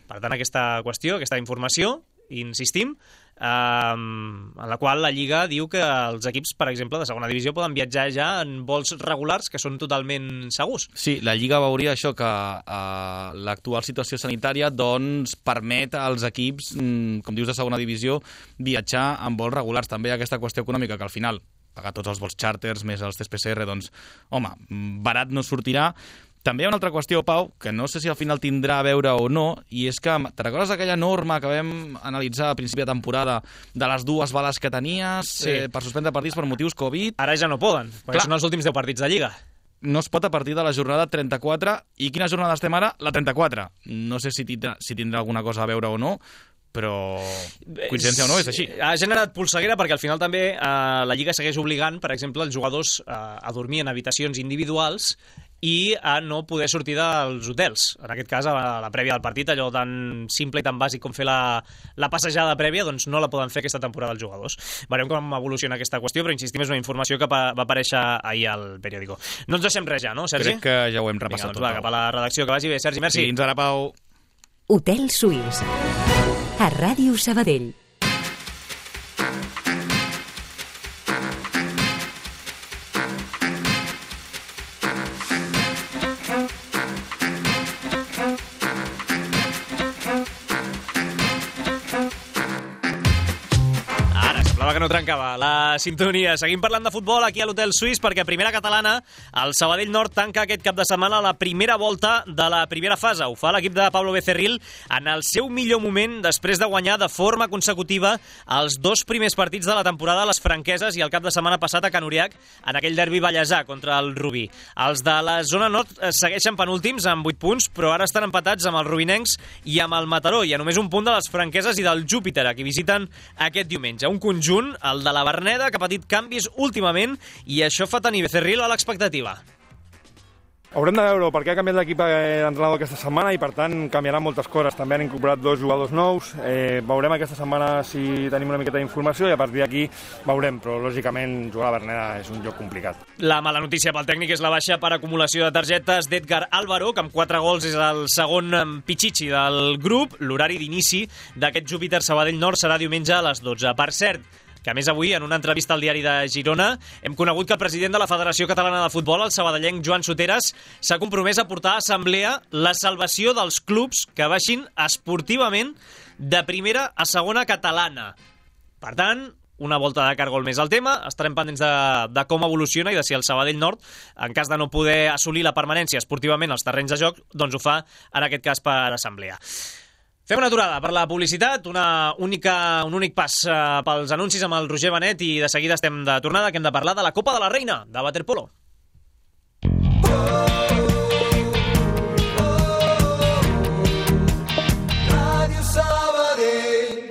Per tant, aquesta qüestió, aquesta informació, insistim, en la qual la Lliga diu que els equips, per exemple, de segona divisió poden viatjar ja en vols regulars que són totalment segurs. Sí, la Lliga veuria això, que l'actual situació sanitària doncs permet als equips, com dius, de segona divisió, viatjar en vols regulars. També hi ha aquesta qüestió econòmica que al final pagar tots els vols charters més els tests PCR, doncs, home, barat no sortirà. També hi ha una altra qüestió, Pau, que no sé si al final tindrà a veure o no, i és que, te recordes aquella norma que vam analitzar a principi de temporada de les 2 bales que tenies per suspendre partits per motius Covid? Ara ja no poden, perquè són els últims 10 partits de Lliga. No es pot a partir de la jornada 34. I quina jornada estem ara? La 34. No sé si tindrà alguna cosa a veure o no, però coincidència o no, és així. Ha generat polseguera perquè al final també la Lliga segueix obligant, per exemple, els jugadors a dormir en habitacions individuals i a no poder sortir dels hotels. En aquest cas, a la prèvia del partit, allò tan simple i tan bàsic com fer la passejada prèvia, doncs no la poden fer aquesta temporada els jugadors. Veurem com evoluciona aquesta qüestió, però insistim, és una informació que va aparèixer ahir al periòdico. No ens deixem res ja, no, Sergi? Crec que ja ho hem repassat. Vinga, doncs va, cap a la redacció, que vagi bé. Sergi, merci. Fins ara, Pau. Hotel Suís, a Ràdio Sabadell. Que no trencava la sintonia. Seguim parlant de futbol aquí a l'Hotel Suís perquè a primera catalana el Sabadell Nord tanca aquest cap de setmana la primera volta de la primera fase. Ho fa l'equip de Pablo Becerril en el seu millor moment després de guanyar de forma consecutiva els 2 primers partits de la temporada a les Franqueses i el cap de setmana passat a Can Uriac en aquell derbi ballesà contra el Rubí. Els de la zona nord segueixen penúltims amb 8 punts, però ara estan empatats amb els rubinencs i amb el Mataró i a només un punt de les Franqueses i del Júpiter, a qui visiten aquest diumenge. Un conjunt, el de la Verneda, que ha patit canvis últimament i això fa tenir Becerril a l'expectativa. Haurem de veure perquè ha canviat l'equip d'entrenador aquesta setmana i per tant canviaran moltes coses. També han incorporat 2 jugadors nous. Veurem aquesta setmana si tenim una miqueta d'informació i a partir d'aquí veurem, però lògicament jugar a la Verneda és un joc complicat. La mala notícia pel tècnic és la baixa per acumulació de targetes d'Edgar Álvaro, que amb 4 gols és el segon pitxitxi del grup. L'horari d'inici d'aquest Júpiter Sabadell Nord serà diumenge a les 12. Per cert, que a més avui, en una entrevista al diari de Girona, hem conegut que el president de la Federació Catalana de Futbol, el sabadellenc Joan Soteras, s'ha compromès a portar a assemblea la salvació dels clubs que baixin esportivament de primera a segona catalana. Per tant, una volta de cargol més al tema, estarem pendents de com evoluciona i de si el Sabadell Nord, en cas de no poder assolir la permanència esportivament als terrenys de joc, doncs ho fa, en aquest cas, per assemblea. Fem una aturada per la publicitat, un únic pas pels anuncis amb el Roger Benet i de seguida estem de tornada, que hem de parlar de la Copa de la Reina, de waterpolo. Ràdio Sabadell.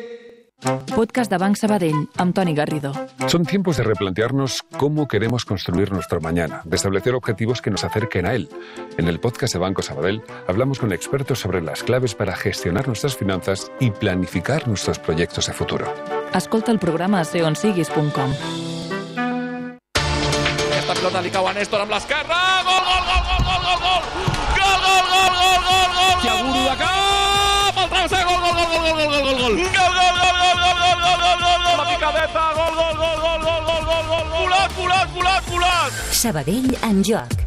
podcast de Banc Sabadell, amb Toni Garrido. Son tiempos de replantearnos cómo queremos construir nuestro mañana, de establecer objetivos que nos acerquen a él. En el podcast de Banco Sabadell hablamos con expertos sobre las claves para gestionar nuestras finanzas y planificar nuestros proyectos de futuro. Escolta el programa a seonsiguis.com. Aquesta pilota li cau a Néstor amb l'esquerra. Gol, gol, gol, gol, gol, gol, gol! Gol, gol, gol, gol, gol, gol! Tiago de cap! El travesser, gol, gol, gol, gol, gol, gol, gol, gol! Gol, gol, gol, gol, gol, gol, gol, gol, gol, gol! La picadeta, gol, gol, gol, gol, gol, gol, gol, gol! Volat! Sabadell en joc.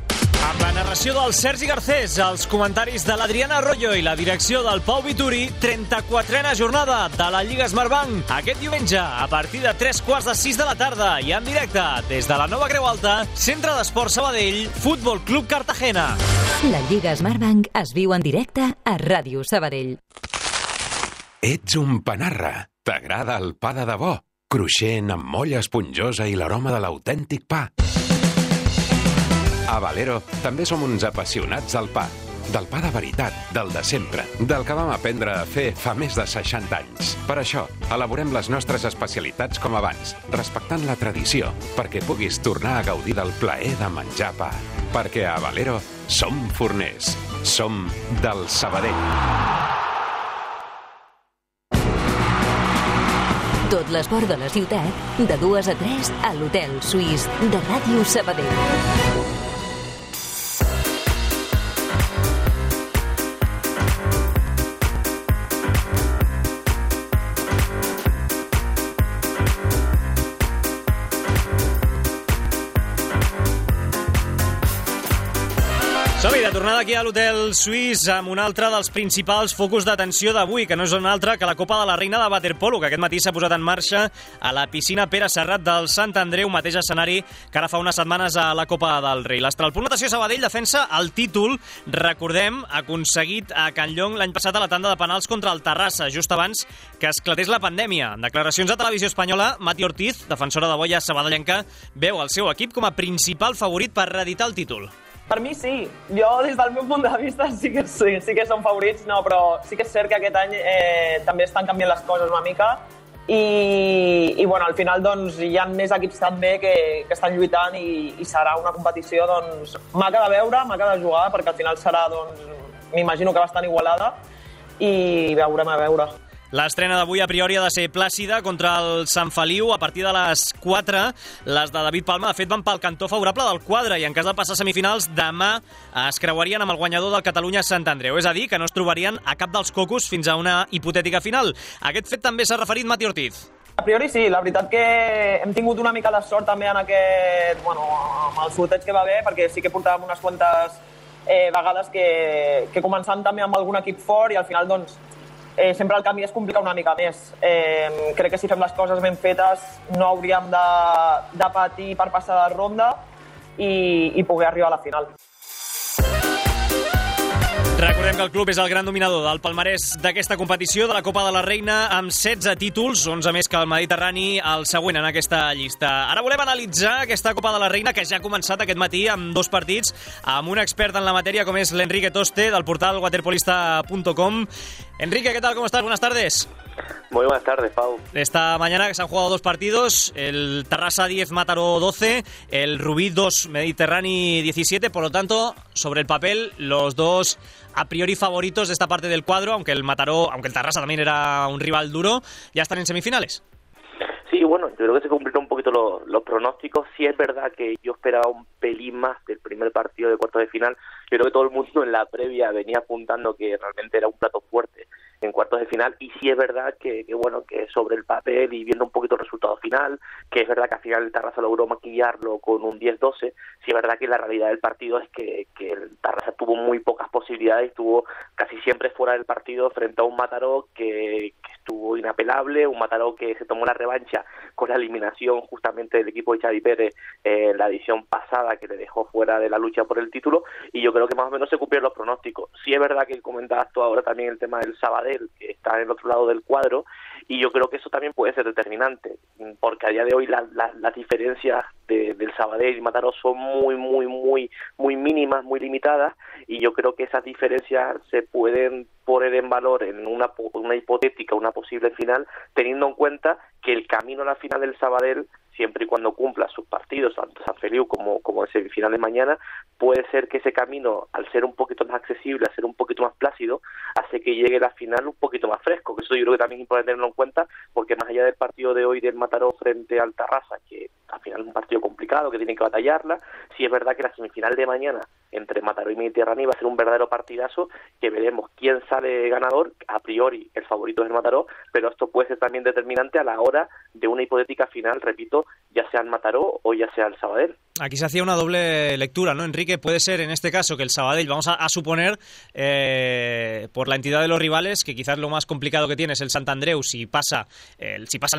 Amb la narració del Sergi Garcés, els comentaris de l'Adriana Arroyo i la direcció del Pau Vituri, 34a jornada de la Lliga Smartbank. Aquest diumenge, a partir de 3:45 de la tarda i en directe des de la Nova Creu Alta, Centre d'Esports Sabadell, Futbol Club Cartagena. La Lliga Smartbank es viu en directe a Ràdio Sabadell. Ets un panarra. T'agrada el pa de debò? Cruixent, amb molla esponjosa i l'aroma de l'autèntic pa. A Valero també som uns apassionats del pa. Del pa de veritat, del de sempre, del que vam aprendre a fer fa més de 60 anys. Per això, elaborem les nostres especialitats com abans, respectant la tradició, perquè puguis tornar a gaudir del plaer de menjar pa. Perquè a Valero som forners. Som del Sabadell. Tot l'esport de la ciutat, de 2 a 3 a l'Hotel Suís de Ràdio Sabadell. Som-hi, de tornada aquí a l'Hotel Suís amb un altre dels principals focus d'atenció d'avui, que no és un altre que la Copa de la Reina de Waterpolo, que aquest matí s'ha posat en marxa a la piscina Pere Serrat del Sant Andreu, mateix escenari que ara fa unes setmanes a la Copa del Rei. L'Astralpunt Natació Sabadell defensa el títol, recordem, aconseguit a Can Llong l'any passat a la tanda de penals contra el Terrassa, just abans que esclatés la pandèmia. En declaracions a Televisió Espanyola, Mati Ortiz, defensora de boia sabadellenca, veu el seu equip com a principal favorit per reeditar el títol. Per mi sí. Jo, des del meu punt de vista, sí que són favorits, no, però sí que és cert que aquest any també estan canviant les coses una mica i bueno, al final doncs, hi ha més equips també que estan lluitant i serà una competició doncs, maca de veure, maca de jugar, perquè al final serà, doncs, m'imagino que bastant igualada i veurem a veure. L'estrena d'avui a priori ha de ser plàcida contra el Sant Feliu a partir de les 4. Les de David Palma, de fet, van pel cantó favorable del quadre i en cas de passar semifinals, demà es creuarien amb el guanyador del Catalunya-Sant Andreu. És a dir, que no es trobarien a cap dels cocos fins a una hipotètica final. A aquest fet també s'ha referit Mati Ortiz. A priori sí, la veritat que hem tingut una mica de sort també en aquest, bueno, amb el sorteig que va haver, perquè sí que portàvem unes quantes vegades que començant també amb algun equip fort i al final doncs sempre el camí es complica una mica més. Crec que si fem les coses ben fetes no hauríem de patir per passar de ronda i poder arribar a la final. Recordem que el club és el gran dominador del palmarès d'aquesta competició de la Copa de la Reina amb 16 títols, 11 més que el Mediterrani, el següent en aquesta llista. Ara volem analitzar aquesta Copa de la Reina que ja ha començat aquest matí amb 2 partits amb un expert en la matèria com és l'Enrique Toste del portal waterpolista.com. Enrique, ¿qué tal? ¿Cómo estás? Buenas tardes. Muy buenas tardes, Pau. Esta mañana se han jugado 2 partidos, el Tarrasa 10, Mataró 12, el Rubí 2, Mediterrani 17, por lo tanto, sobre el papel, los dos a priori favoritos de esta parte del cuadro, aunque el Tarrasa también era un rival duro, ya están en semifinales. Sí, bueno, yo creo que se cumplieron un poquito los pronósticos. Sí es verdad que yo esperaba un pelín más del primer partido de cuartos de final. Yo creo que todo el mundo en la previa venía apuntando que realmente era un plato fuerte en cuartos de final, y sí es verdad que sobre el papel y viendo un poquito el resultado final, que es verdad que al final el Tarrasa logró maquillarlo con un 10-12, sí es verdad que la realidad del partido es que el Tarrasa tuvo muy pocas posibilidades, estuvo casi siempre fuera del partido frente a un Mataró que estuvo inapelable, un Mataró que se tomó la revancha con la eliminación justamente del equipo de Xavi Pérez en la edición pasada, que le dejó fuera de la lucha por el título, y yo creo que más o menos se cumplieron los pronósticos. Sí es verdad que comentabas tú ahora también el tema del Sabadell, que está en el otro lado del cuadro, y yo creo que eso también puede ser determinante, porque a día de hoy las diferencias del Sabadell y Mataró son muy mínimas, muy limitadas, y yo creo que esas diferencias se pueden poner en valor en una hipotética, una posible final, teniendo en cuenta que el camino a la final del Sabadell, siempre y cuando cumpla sus partidos, tanto San Feliu como en semifinales mañana, puede ser que ese camino, al ser un poquito más accesible, al ser un poquito más plácido, hace que llegue la final un poquito más fresco, que eso yo creo que también es importante tenerlo en cuenta, porque más allá del partido de hoy del Mataró frente al Tarrasa, que al final es un partido complicado, que tiene que batallarla, sí es verdad que la semifinal de mañana entre Mataró y Mediterráneo va a ser un verdadero partidazo, que veremos quién sale ganador. A priori el favorito es el Mataró, pero esto puede ser también determinante a la hora de una hipotética final, repito, ya sea el Mataró o ya sea el Sabadell. Aquí se hacía una doble lectura, ¿no, Enrique? Puede ser en este caso que el Sabadell, vamos a suponer, por la entidad de los rivales, que quizás lo más complicado que tiene es el Sant Andreu, si pasan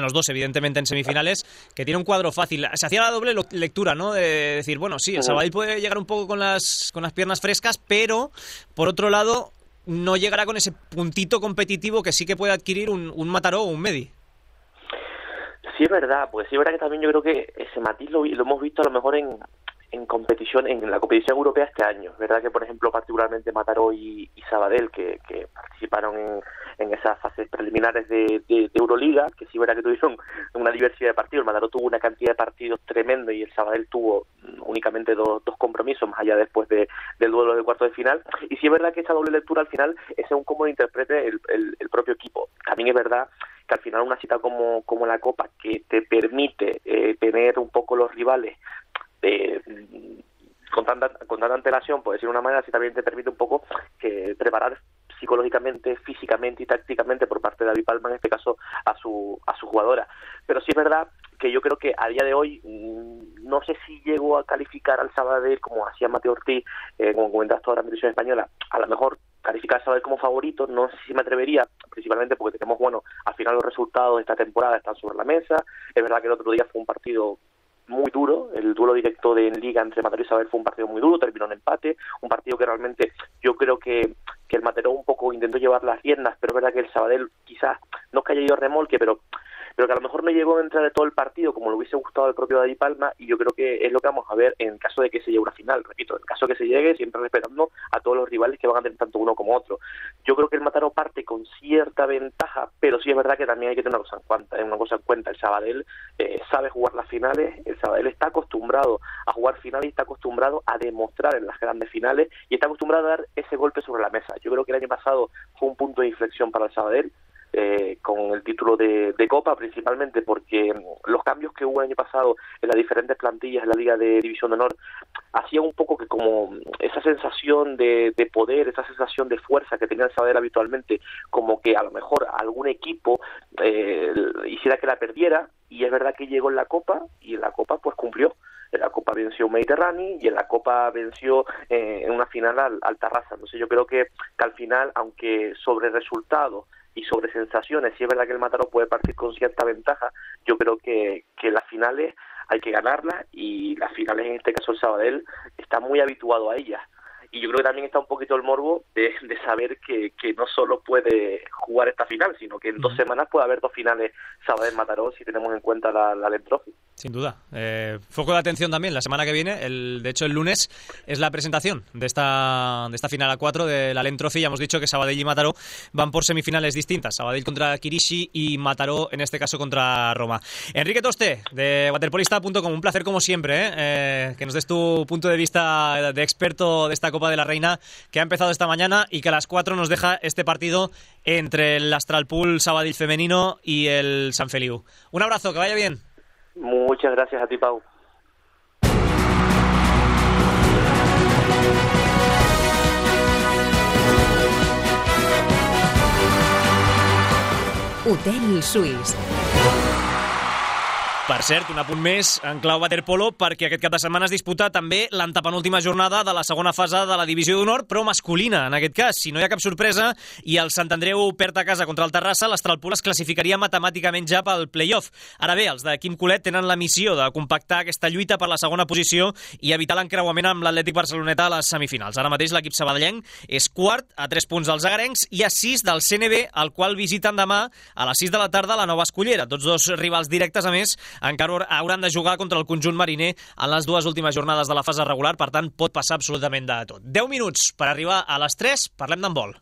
los dos, evidentemente, en semifinales, que tiene un cuadro fácil. Se hacía la doble lectura, ¿no? De decir, bueno, sí, el Sabadell puede llegar un poco con las piernas frescas, pero, por otro lado, no llegará con ese puntito competitivo que sí que puede adquirir un Mataró o un Medi. Sí es verdad, pues sí es verdad que también yo creo que ese matiz lo hemos visto a lo mejor en la competición europea este año. Es verdad que, por ejemplo, particularmente Mataró y Sabadell, que participaron en esas fases preliminares de Euroliga, que sí es verdad que tuvieron una diversidad de partidos. El Mataró tuvo una cantidad de partidos tremendo y el Sabadell tuvo únicamente dos compromisos, más allá después del duelo de cuarto de final. Y sí es verdad que esa doble lectura al final es según cómo lo interprete el propio equipo. También es verdad que al final una cita como la Copa, que te permite tener un poco los rivales con tanta antelación, por decir de una manera, sí también te permite un poco que preparar psicológicamente, físicamente y tácticamente por parte de David Palma, en este caso a su jugadora. Pero sí es verdad que yo creo que a día de hoy no sé si llego a calificar al Sabadell como hacía Mateo Ortiz, como comentaste ahora en televisión española, a lo mejor calificar al Sabadell como favorito, no sé si me atrevería, principalmente porque tenemos, al final los resultados de esta temporada están sobre la mesa. Es verdad que el otro día fue un partido muy duro, el duelo directo en Liga entre Mataró y Sabadell fue un partido muy duro, terminó en empate, un partido que realmente yo creo que el Mataró un poco intentó llevar las riendas, pero es verdad que el Sabadell quizás no es que haya ido a remolque, pero que a lo mejor no llegó a entrar de todo el partido como le hubiese gustado al propio David Palma, y yo creo que es lo que vamos a ver en caso de que se llegue una final. Repito, en caso de que se llegue, siempre respetando a todos los rivales que van a tener tanto uno como otro. Yo creo que el Mataró parte con cierta ventaja, pero sí es verdad que también hay que tener una cosa en cuenta. El Sabadell sabe jugar las finales, el Sabadell está acostumbrado a jugar finales y está acostumbrado a demostrar en las grandes finales y está acostumbrado a dar ese golpe sobre la mesa. Yo creo que el año pasado fue un punto de inflexión para el Sabadell, con el título de Copa, principalmente porque los cambios que hubo el año pasado en las diferentes plantillas en la Liga de División de Honor hacían un poco que como esa sensación de poder, esa sensación de fuerza que tenía el Sabadell habitualmente, como que a lo mejor algún equipo hiciera que la perdiera, y es verdad que llegó en la Copa y en la Copa pues cumplió. En la Copa venció Mediterráneo y en la Copa venció en una final al Tarrasa. Entonces yo creo que al final, aunque sobre resultados y sobre sensaciones, sí es verdad que el Mataró puede partir con cierta ventaja, yo creo que las finales hay que ganarlas, y las finales, en este caso el Sabadell, está muy habituado a ellas. Y yo creo que también está un poquito el morbo de saber que no solo puede jugar esta final, sino que en 2 semanas puede haber 2 finales Sabadell-Mataró, si tenemos en cuenta la Allen Trophy. Sin duda. Foco de atención también la semana que viene. De hecho, el lunes es la presentación de esta final a 4 de la Allen Trophy. Ya hemos dicho que Sabadell y Mataró van por semifinales distintas. Sabadell contra Kirishi y Mataró, en este caso, contra Roma. Enrique Toste, de waterpolista.com. Un placer, como siempre, que nos des tu punto de vista de experto de esta Copa de la Reina, que ha empezado esta mañana y que a las 4 nos deja este partido entre el Astralpool Sabadell femenino y el Sant Feliu. Un abrazo, que vaya bien. Muchas gracias a ti, Pau. Hotel Suís. Per cert, un apunt més en clau waterpolo, perquè aquest cap de setmana es disputa també l'antepenúltima jornada de la segona fase de la Divisió d'Honor, però masculina, en aquest cas. Si no hi ha cap sorpresa i el Sant Andreu perd a casa contra el Terrassa, l'Astralpool es classificaria matemàticament ja pel play-off. Ara bé, els de Quim Colet tenen la missió de compactar aquesta lluita per la segona posició i evitar l'encreuament amb l'Atlètic Barceloneta a les semifinals. Ara mateix l'equip sabadellenc és quart, a 3 punts dels agarencs i a 6 del CNB, el qual visiten demà a les 6 de la tarda a la Nova Escullera. Tots dos rivals directes, a més, encara hauran de jugar contra el conjunt mariner en les 2 últimes jornades de la fase regular, per tant pot passar absolutament de tot. 10 minuts per arribar a les 3, parlem d'handbol.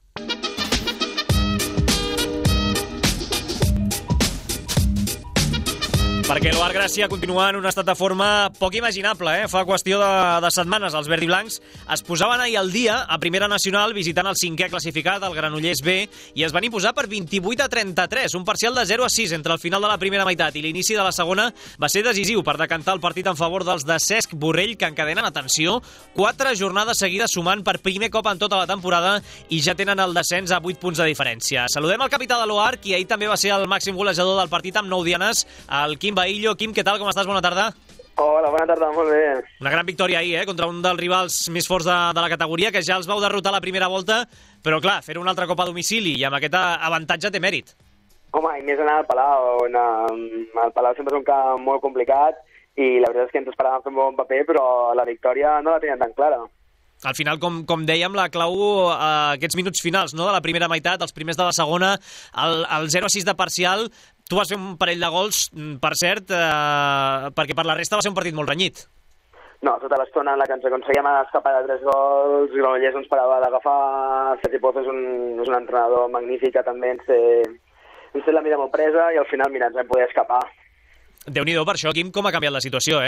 Perquè l'Oar Gràcia continua en un estat de forma poc imaginable. Fa qüestió de setmanes els verdiblancs es posaven ahir al dia a Primera Nacional visitant el 5è classificat, el Granollers B, i es van imposar per 28-33, un parcial de 0-6 entre el final de la primera meitat i l'inici de la segona va ser decisiu per decantar el partit en favor dels de Cesc Borrell, que encadenen, atenció, 4 jornades seguides sumant per primer cop en tota la temporada i ja tenen el descens a 8 punts de diferència. Saludem el capità de l'Oar, qui ahir també va ser el màxim golejador del partit amb 9 dianes, el Quim Bahillo. Quim, què tal? Com estàs? Bona tarda. Hola, bona tarda, molt bé. Una gran victòria ahir, contra un dels rivals més forts de la categoria, que ja els vau derrotar la primera volta, però clar, fer un altre cop a domicili i amb aquest avantatge té mèrit. Home, i més anar al Palau. El Palau sempre és un camp molt complicat i la veritat és que ens esperàvem fer un bon paper, però la victòria no la tenien tan clara. Al final, com dèiem, la clau aquests minuts finals, no?, de la primera meitat, els primers de la segona, el 0-6 de parcial. Tu vas fer un parell de gols, per cert, perquè per la resta va ser un partit molt renyit. No, tota l'estona en la que ens aconseguíem escapar de 3 gols, Granollers ens parava d'agafar, Sergi Pozo és un entrenador magnífic que també ens té la mira molt presa i al final, mira, ens vam poder escapar. Déu-n'hi-do per això, Quim, com ha canviat la situació,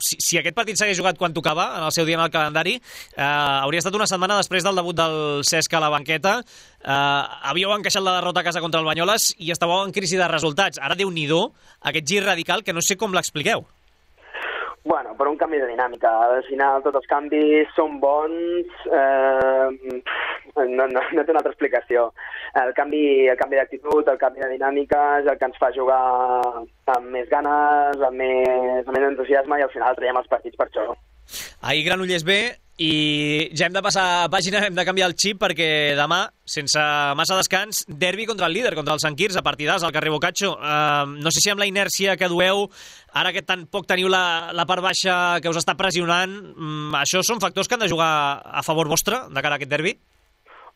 Si aquest partit s'hagués jugat quan tocava, en el seu dia en el calendari, hauria estat una setmana després del debut del Cesc a la banqueta. Havíeu encaixat la derrota a casa contra el Banyoles i estàveu en crisi de resultats. Ara, Déu-n'hi-do, aquest gir radical que no sé com l'expliqueu. Bueno, per un canvi de dinàmica. Al final tots els canvis són bons, no té una altra explicació. El canvi d'actitud, el canvi de dinàmica és el que ens fa jugar amb més ganes, amb més entusiasme i al final traiem els partits per això. Ahir Granollers B i ja hem de passar pàgina, hem de canviar el xip perquè demà, sense massa descans, derbi contra el líder, contra el Sant Quirze, partidàs al carrer Boccaccio. No sé si amb la inèrcia que dueu, ara que tan poc teniu la part baixa que us està pressionant, això són factors que han de jugar a favor vostre de cara a aquest derbi?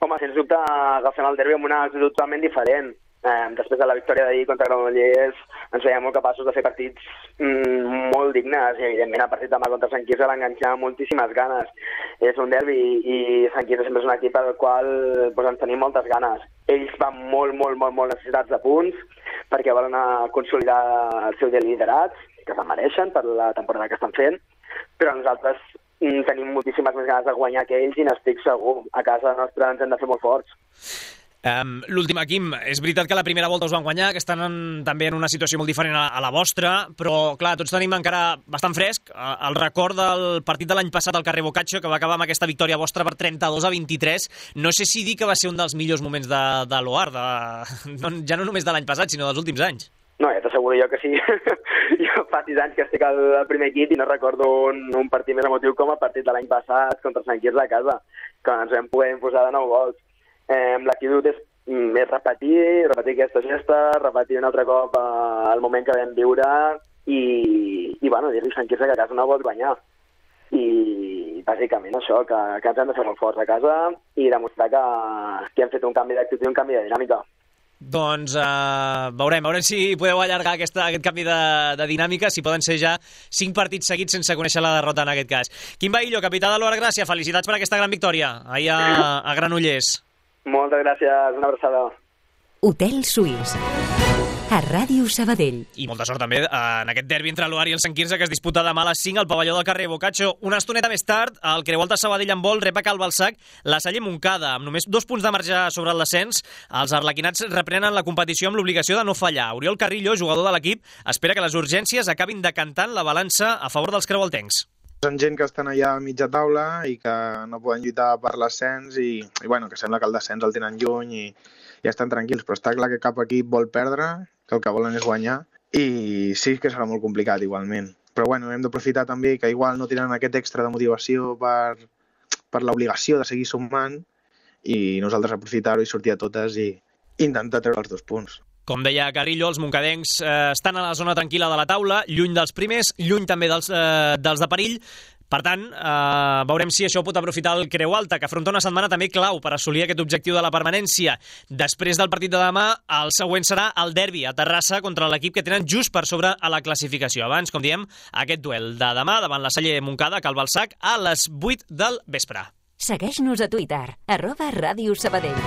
Home, sens dubte agafem el derbi amb una actitud totalment diferent. Després de la victòria d'ahir contra Granollers ens veiem molt capaços de fer partits molt dignes i evidentment el partit demà contra Sant Quirze l'enganxar amb moltíssimes ganes. És un derbi i Sant Quirze sempre és un equip al qual ens tenim moltes ganes. Ells van molt necessitats de punts perquè volen consolidar el seu liderat, que se'n mereixen per la temporada que estan fent, però nosaltres tenim moltíssimes més ganes de guanyar que ells i n'estic segur. A casa nostra ens hem de fer molt forts. L'última, Quim, és veritat que la primera volta us van guanyar, que estan també en una situació molt diferent a la vostra, però clar, tots tenim encara bastant fresc el record del partit de l'any passat al carrer Boccaccio, que va acabar amb aquesta victòria vostra per 32-23. No sé si dir que va ser un dels millors moments de l'Oar, ja no només de l'any passat, sinó dels últims anys. No, ja t'asseguro jo que sí. Jo fa 6 anys que estic al primer equip i no recordo un partit més emotiu com el partit de l'any passat contra Sant Quirze a casa, que ens vam poder imposar de 9 gols. L'actitud és repetir aquesta gesta, repetir un altre cop el moment que vam viure i dir-li a Sant Quirze que a casa no vols guanyar. I bàsicament això, que ens hem de fer molt forts a casa i demostrar que hem fet un canvi d'actitud i un canvi de dinàmica. Doncs veurem si podeu allargar aquest canvi de dinàmica, si poden ser ja 5 partits seguits sense conèixer la derrota en aquest cas. Quim Bahillo, capità de l'Oar Gràcia, felicitats per aquesta gran victòria ahir a Granollers. Moltes gràcies, una abraçada. Hotel Suís, a Ràdio Sabadell. I molta sort també en aquest derbi entre l'Oar i el Sant Quirze que es disputa demà a les 5 al pavelló del carrer Boccaccio. Una estoneta més tard, el Creualta Sabadell en vol rep a Cal Balsac la Salle Montcada. Amb només 2 punts de marge sobre el descens, els arlequinats reprenen la competició amb l'obligació de no fallar. Oriol Carrillo, jugador de l'equip, espera que les urgències acabin decantant la balança a favor dels creualtencs. Són gent que estan allà a mitja taula i que no poden lluitar per l'ascens i que sembla que el descens el tenen lluny i estan tranquils, però està clar que cap equip vol perdre, que el que volen és guanyar i sí que serà molt complicat igualment. Però hem d'aprofitar també que igual no tenen aquest extra de motivació per l'obligació de seguir sumant i nosaltres aprofitar-ho i sortir a totes i intentar treure els 2 punts. Com deia Carrillo, els moncadencs estan a la zona tranquil·la de la taula, lluny dels primers, lluny també dels de perill, Per tant, veurem si això pot aprofitar el Creu Alta, que afronta una setmana també clau per assolir aquest objectiu de la permanència. Després del partit de demà, el següent serà el derbi a Terrassa contra l'equip que tenen just per sobre a la classificació. Abans, com diem, aquest duel de demà davant la Salle Montcada, Cal Balsac, a les 8 del vespre. Segueix-nos a Twitter, @Ràdio Sabadell.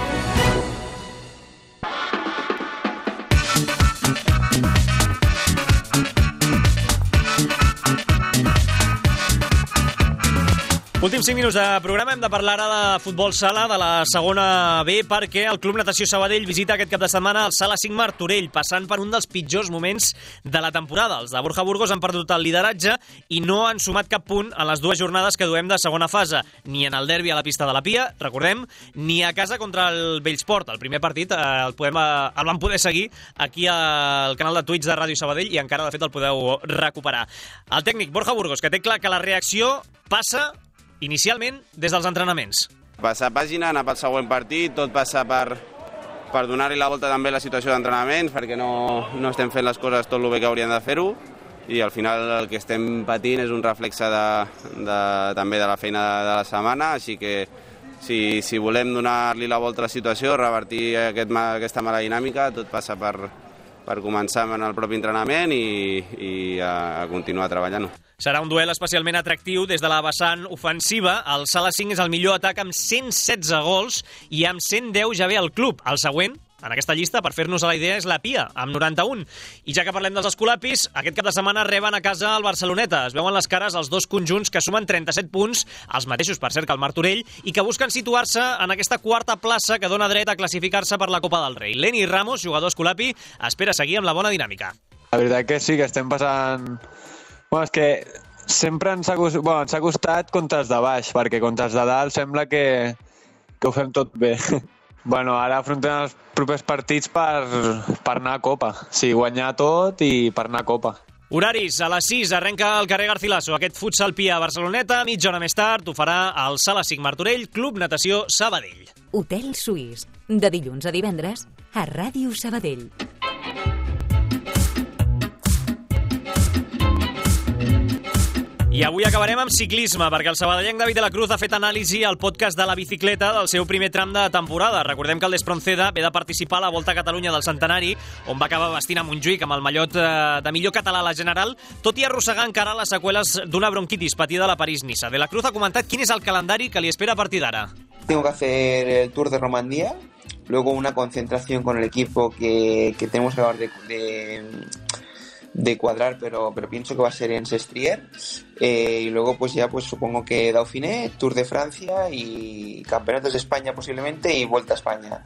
Últims 5 minuts de programa. Hem de parlar ara de futbol sala de la segona B, perquè el Club Natació Sabadell visita aquest cap de setmana el Sala 5 Martorell, passant per un dels pitjors moments de la temporada. Els de Borja Burgos han perdut el lideratge i no han sumat cap punt en les 2 jornades que duem de segona fase, ni en el derbi a la pista de la Pia, recordem, ni a casa contra el Bellsport. El primer partit el vam poder seguir aquí al canal de Twitch de Ràdio Sabadell i encara, de fet, el podeu recuperar. El tècnic Borja Burgos, que té clar que la reacció passa inicialment des dels entrenaments. Passar pàgina, anar pel següent partit, tot passa per donar-li la volta també a la situació d'entrenaments, perquè no estem fent les coses tot el bé que hauríem de fer-ho, i al final el que estem patint és un reflexe també de la feina de la setmana, així que si volem donar-li la volta a la situació, revertir aquesta mala dinàmica, tot passa per començar en el propi entrenament i a continuar treballant-ho. Serà un duel especialment atractiu des de la vessant ofensiva. El Sala 5 és el millor atac amb 116 gols i amb 110 ja ve el club. El següent, en aquesta llista, per fer-nos a la idea, és la Pia, amb 91. I ja que parlem dels escolapis, aquest cap de setmana reben a casa el Barceloneta. Es veuen les cares els dos conjunts que sumen 37 punts, els mateixos, per cert, que el Martorell, i que busquen situar-se en aquesta quarta plaça que dona dret a classificar-se per la Copa del Rei. Leni Ramos, jugador escolapi, espera seguir amb la bona dinàmica. La veritat que sí, que estem passant... Bueno, és que sempre ens ha costat contra els de baix, perquè contra els de dalt sembla que ho fem tot bé. Bueno, ara afrontem els propers partits per anar a Copa. Sí, guanyar tot i per anar a Copa. Horaris, a les 6 arrenca el carrer Garcilaso. Aquest futsal Pia a Barceloneta, mitja hora més tard ho farà el Sala 5 Martorell, Club Natació Sabadell. Hotel Suís, de dilluns a divendres a Ràdio Sabadell. I avui acabarem amb ciclisme, perquè el sabadellenc David de la Cruz ha fet anàlisi al podcast de la bicicleta del seu primer tram de temporada. Recordem que el Despronceda ve de participar a la Volta a Catalunya del Centenari, on va acabar vestint a Montjuïc amb el mallot de millor català a la general, tot i arrossegar encara les seqüeles d'una bronquitis patida a la París-Niça. De la Cruz ha comentat quin és el calendari que li espera a partir d'ara. Tengo que hacer el Tour de Romandía, luego una concentración con el equipo que tenemos que acabar de cuadrar, pero pienso que va a ser en Sestrier, y luego pues ya supongo que Dauphiné, Tour de Francia y Campeonatos de España posiblemente y Vuelta a España.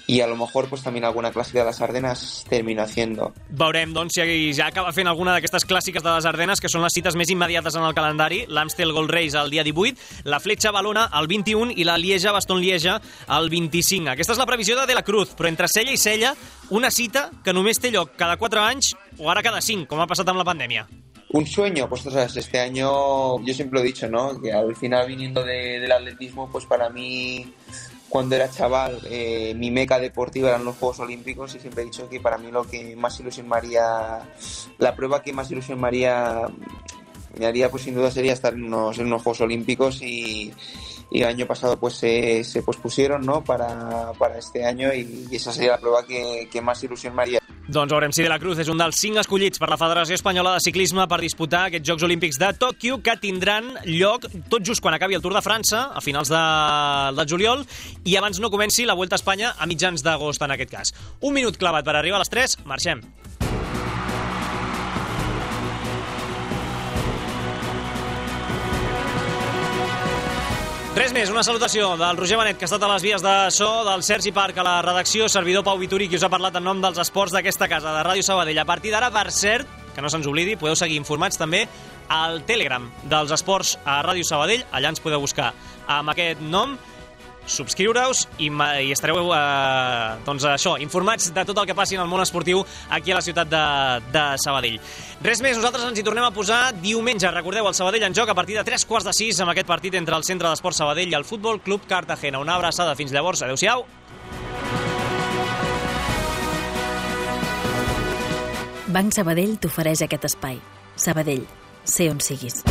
Y a lo mejor pues también alguna clàssica de les Ardenes termino haciendo. Veurem, doncs, si ja acaba fent alguna d'aquestes clàssiques de les Ardenes, que són les cites més immediates en el calendari, l'Amstel Gold Race el dia 18, la Fletxa Valona el 21 i la Lieja-Bastogne-Lieja el 25. Aquesta és la previsió de la Cruz, però entre cella i cella, una cita que només té lloc cada 4 anys o ara cada 5, com ha passat amb la pandèmia. Un sueño, pues este año yo siempre lo he dicho, ¿no? Que al final viniendo del atletismo, pues para mí, cuando era chaval, mi meca deportiva eran los Juegos Olímpicos, y siempre he dicho que para mí lo que más ilusión me haría, la prueba que más ilusión me haría pues sin duda sería estar en unos Juegos Olímpicos, y el año pasado pues se pospusieron, ¿no? para este año, y esa sería la prueba que más ilusión me haría. Doncs veurem si de la Cruz és un dels 5 escollits per la Federació Espanyola de Ciclisme per disputar aquests Jocs Olímpics de Tòquio, que tindran lloc tot just quan acabi el Tour de França, a finals de juliol, i abans no comenci la Vuelta a Espanya a mitjans d'agost, en aquest cas. Un minut clavat per arribar a les 3, marxem. Res més, una salutació del Roger Benet, que ha estat a les vies de so, del Sergi Parc a la redacció, servidor Pau Vituri, qui us ha parlat en nom dels esports d'aquesta casa, de Ràdio Sabadell. A partir d'ara, per cert, que no se'ns oblidi, podeu seguir informats també al Telegram dels esports a Ràdio Sabadell. Allà ens podeu buscar amb aquest nom, subscriure-us i estareu doncs això, informats de tot el que passi en el món esportiu aquí a la ciutat de Sabadell. Res més, nosaltres ens hi tornem a posar diumenge. Recordeu, el Sabadell en joc a partir de 3:45 amb aquest partit entre el Centre d'Esports Sabadell i el Futbol Club Cartagena. Una abraçada, fins llavors, adeu-siau. Banc Sabadell t'ofereix aquest espai. Sabadell, sé on siguis.